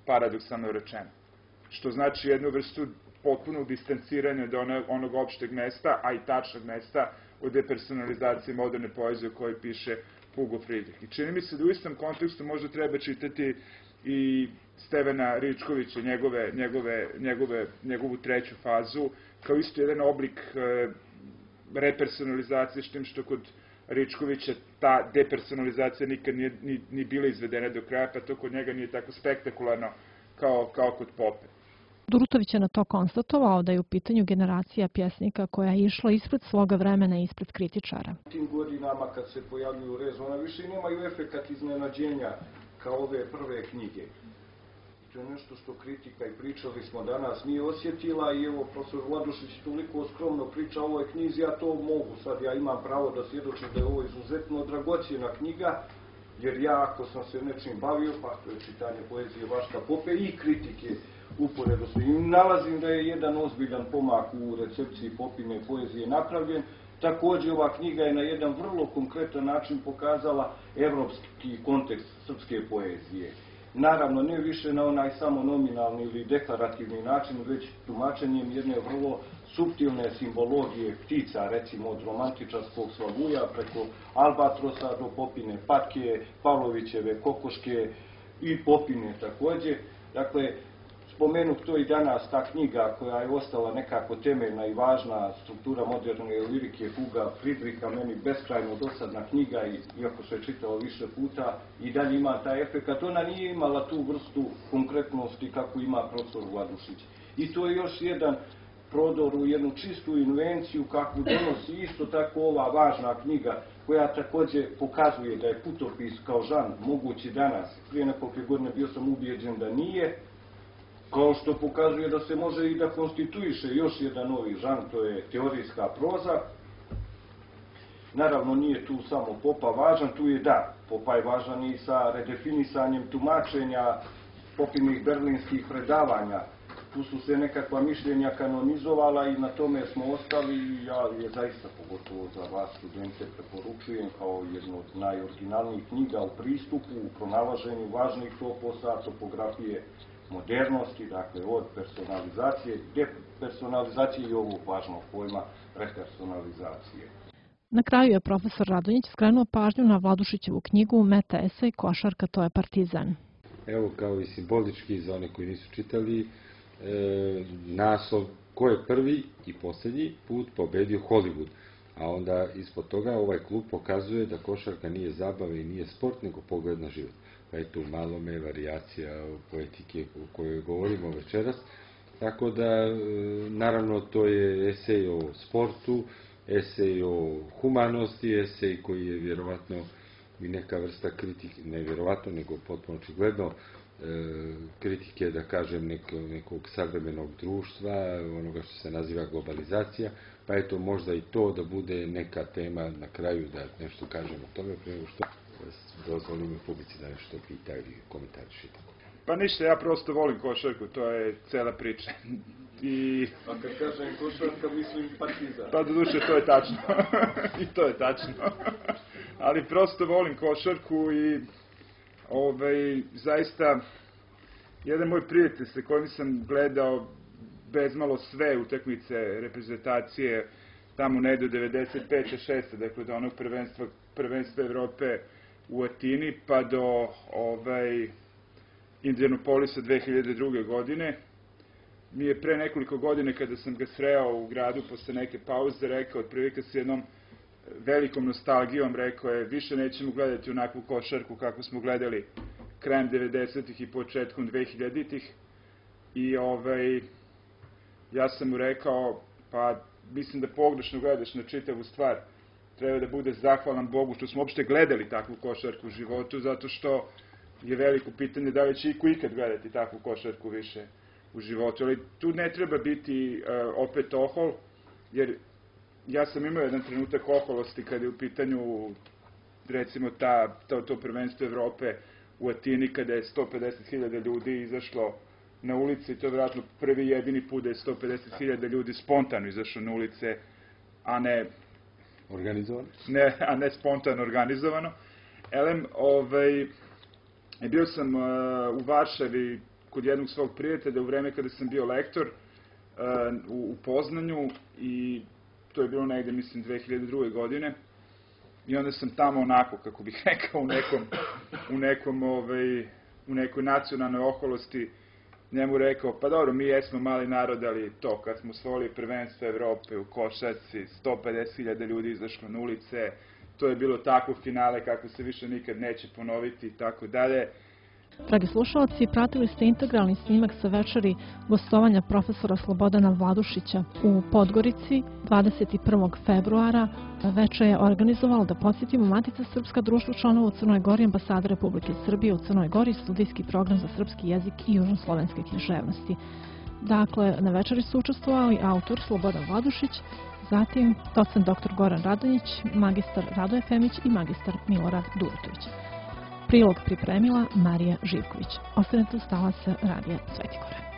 paradoksalno rečeno. Što znači jednu vrstu potpuno distanciranja do onog opšteg mesta, a i tačnog mesta od depersonalizacije moderne poezije o kojoj piše Hugo Friedrich. I čini mi se da u istom kontekstu možda treba čitati i Stevana Ričkovića, njegove, njegove, njegove, njegovu treću fazu, kao isto jedan oblik e, repersonalizacije, s tim što kod Ričkovića ta depersonalizacija nikad nije ni, ni bila izvedena do kraja, pa to kod njega nije tako spektakularno kao, kao kod Pope. Durutović je na to konstatovao da je u pitanju generacija pjesnika koja je išla ispred svoga vremena i ispred kritičara. U tim godinama kad se pojavljuju rez, ona više nemaju efekat iznenađenja kao ove prve knjige. To je nešto što kritika, i pričali smo danas, nije osjetila i evo, profesor Vladušić toliko skromno priča o ovoj knjizi, ja to mogu, sad ja imam pravo da svjedočim da je ovo izuzetno dragocjena knjiga, jer ja ako sam se nečim bavio, pa to je čitanje poezije Vaška Pope i kritike uporedo su. I nalazim da je jedan ozbiljan pomak u recepciji Popine poezije napravljen. Također ova knjiga je na jedan vrlo konkretan način pokazala evropski kontekst srpske poezije. Naravno, ne više na onaj samo nominalni ili deklarativni način, već tumačenjem jedne vrlo suptilne simbologije ptica, recimo od romantičarskog Slavuja preko Albatrosa do Popine patke, Pavlovićeve kokoške i Popine također. Dakle, spomenut to i danas, ta knjiga koja je ostala nekako temeljna i važna struktura moderne lirike Huga Friedricha, meni beskrajno dosadna knjiga, iako se je čitalo više puta, i dalje ima taj efekt. Ona nije imala tu vrstu konkretnosti kako ima profesor Vladušić. I to je još jedan prodor u jednu čistu invenciju kakvu donosi isto tako ova važna knjiga, koja također pokazuje da je putopis kao žan mogući danas. Prije nekoliko godine bio sam ubijeđen da nije, kao što pokazuje da se može i da konstituiše još jedan novi žan, to je teorijska proza. Naravno, nije tu samo Popa važan, tu je da, Popa je važan i sa redefinisanjem tumačenja Popinih berlinskih predavanja. Tu su se nekakva mišljenja kanonizovala i na tome smo ostali i ja je zaista, pogotovo za vas studente, preporučujem kao jednu od najoriginalnijih knjiga u pristupu, u pronalaženju važnih toposa, topografije modernosti, dakle od personalizacije, depersonalizacije i ovog važnog pojma repersonalizacije. Na kraju je profesor Radonjić skrenuo pažnju na Vladušićevu knjigu Meta esej Košarka, to je Partizan. Evo, kao i simbolički za one koji nisu čitali, e, naslov ko je prvi i posljednji put pobedio Hollywood. A onda ispod toga ovaj klub pokazuje da košarka nije zabava i nije sport, nego pogled na život. Pa je tu malome varijacija poetike o kojoj govorimo večeras. Tako da, naravno, to je esej o sportu, esej o humanosti, esej koji je vjerovatno i neka vrsta kritike, ne vjerovatno, nego potpuno očigledno kritike, da kažem, nekog savremenog društva, onoga što se naziva globalizacija, pa eto možda i to da bude neka tema na kraju da nešto kažem o tome, prije nego što dozvolim publici da nešto pita ili komentariš i tako. Pa ništa, ja prosto volim košarku, to je cela priča. I... A kad kažem košarka, mislim Partizan. Pa doduše, to je tačno. I to je tačno. Ali prosto volim košarku i ovaj, zaista jedan moj prijatelj sa kojim sam gledao bezmalo sve utakmice reprezentacije tamo ne do devedeset pete šeste dakle do onog prvenstva, prvenstva Evrope u Atini pa do ovaj, Indianapolisa dve hiljade druge. godine. Mi je pre nekoliko godine kada sam ga sreo u gradu posle neke pauze rekao, otprilike s jednom velikom nostalgijom rekao je više nećemo gledati onakvu košarku kako smo gledali krajem devedesetih i početkom dvehiljaditih i ovaj, ja sam mu rekao pa mislim da pogrešno gledaš na čitavu stvar, treba da bude zahvalan Bogu što smo uopšte gledali takvu košarku u životu, zato što je veliko pitanje da li će iko ikad gledati takvu košarku više u životu, ali tu ne treba biti uh, opet ohol, jer ja sam imao jedan trenutak oholosti kada je u pitanju recimo ta, to, to prvenstvo Evrope u Atini kada je sto pedeset hiljada ljudi izašlo na ulice i to je vjerojatno prvi jedini put da je sto pedeset hiljada ljudi spontano izašlo na ulice, a ne organizovano, ne, a ne spontano organizovano. Elem, ovaj, bio sam uh, u Varšavi kod jednog svog prijatelja u vreme kada sam bio lektor uh, u, u Poznanju i to je bilo negde, mislim, dve hiljade druge. godine. I onda sam tamo onako, kako bih rekao, u nekom, u nekom, ovaj, u nekoj nacionalnoj oholosti njemu rekao, pa dobro, mi jesmo mali narod, ali to, kad smo osvojili prvenstvo Evrope u košarci, sto pedeset hiljada ljudi izašlo na ulice, to je bilo takvo finale kako se više nikad neće ponoviti i tako dalje. Dragi slušalci, pratili ste integralni snimak sa večeri gostovanja profesora Slobodana Vladušića u Podgorici dvadeset prvog februara. Večer je organizovalo, da podsjetimo, Matica Srpska, društvo članova u Crnoj Gori, ambasada Republike Srbije u Crnoj Gori, studijski program za srpski jezik i južnoslovenske književnosti. Dakle, na večeri su učestvovali autor Slobodan Vladušić, zatim docent doktor Goran Radonjić, magistar Radoje Femić i magistar Milorad Durotović. Prilog pripremila Marija Živković. Ostanete uz talase Radija Svetikora.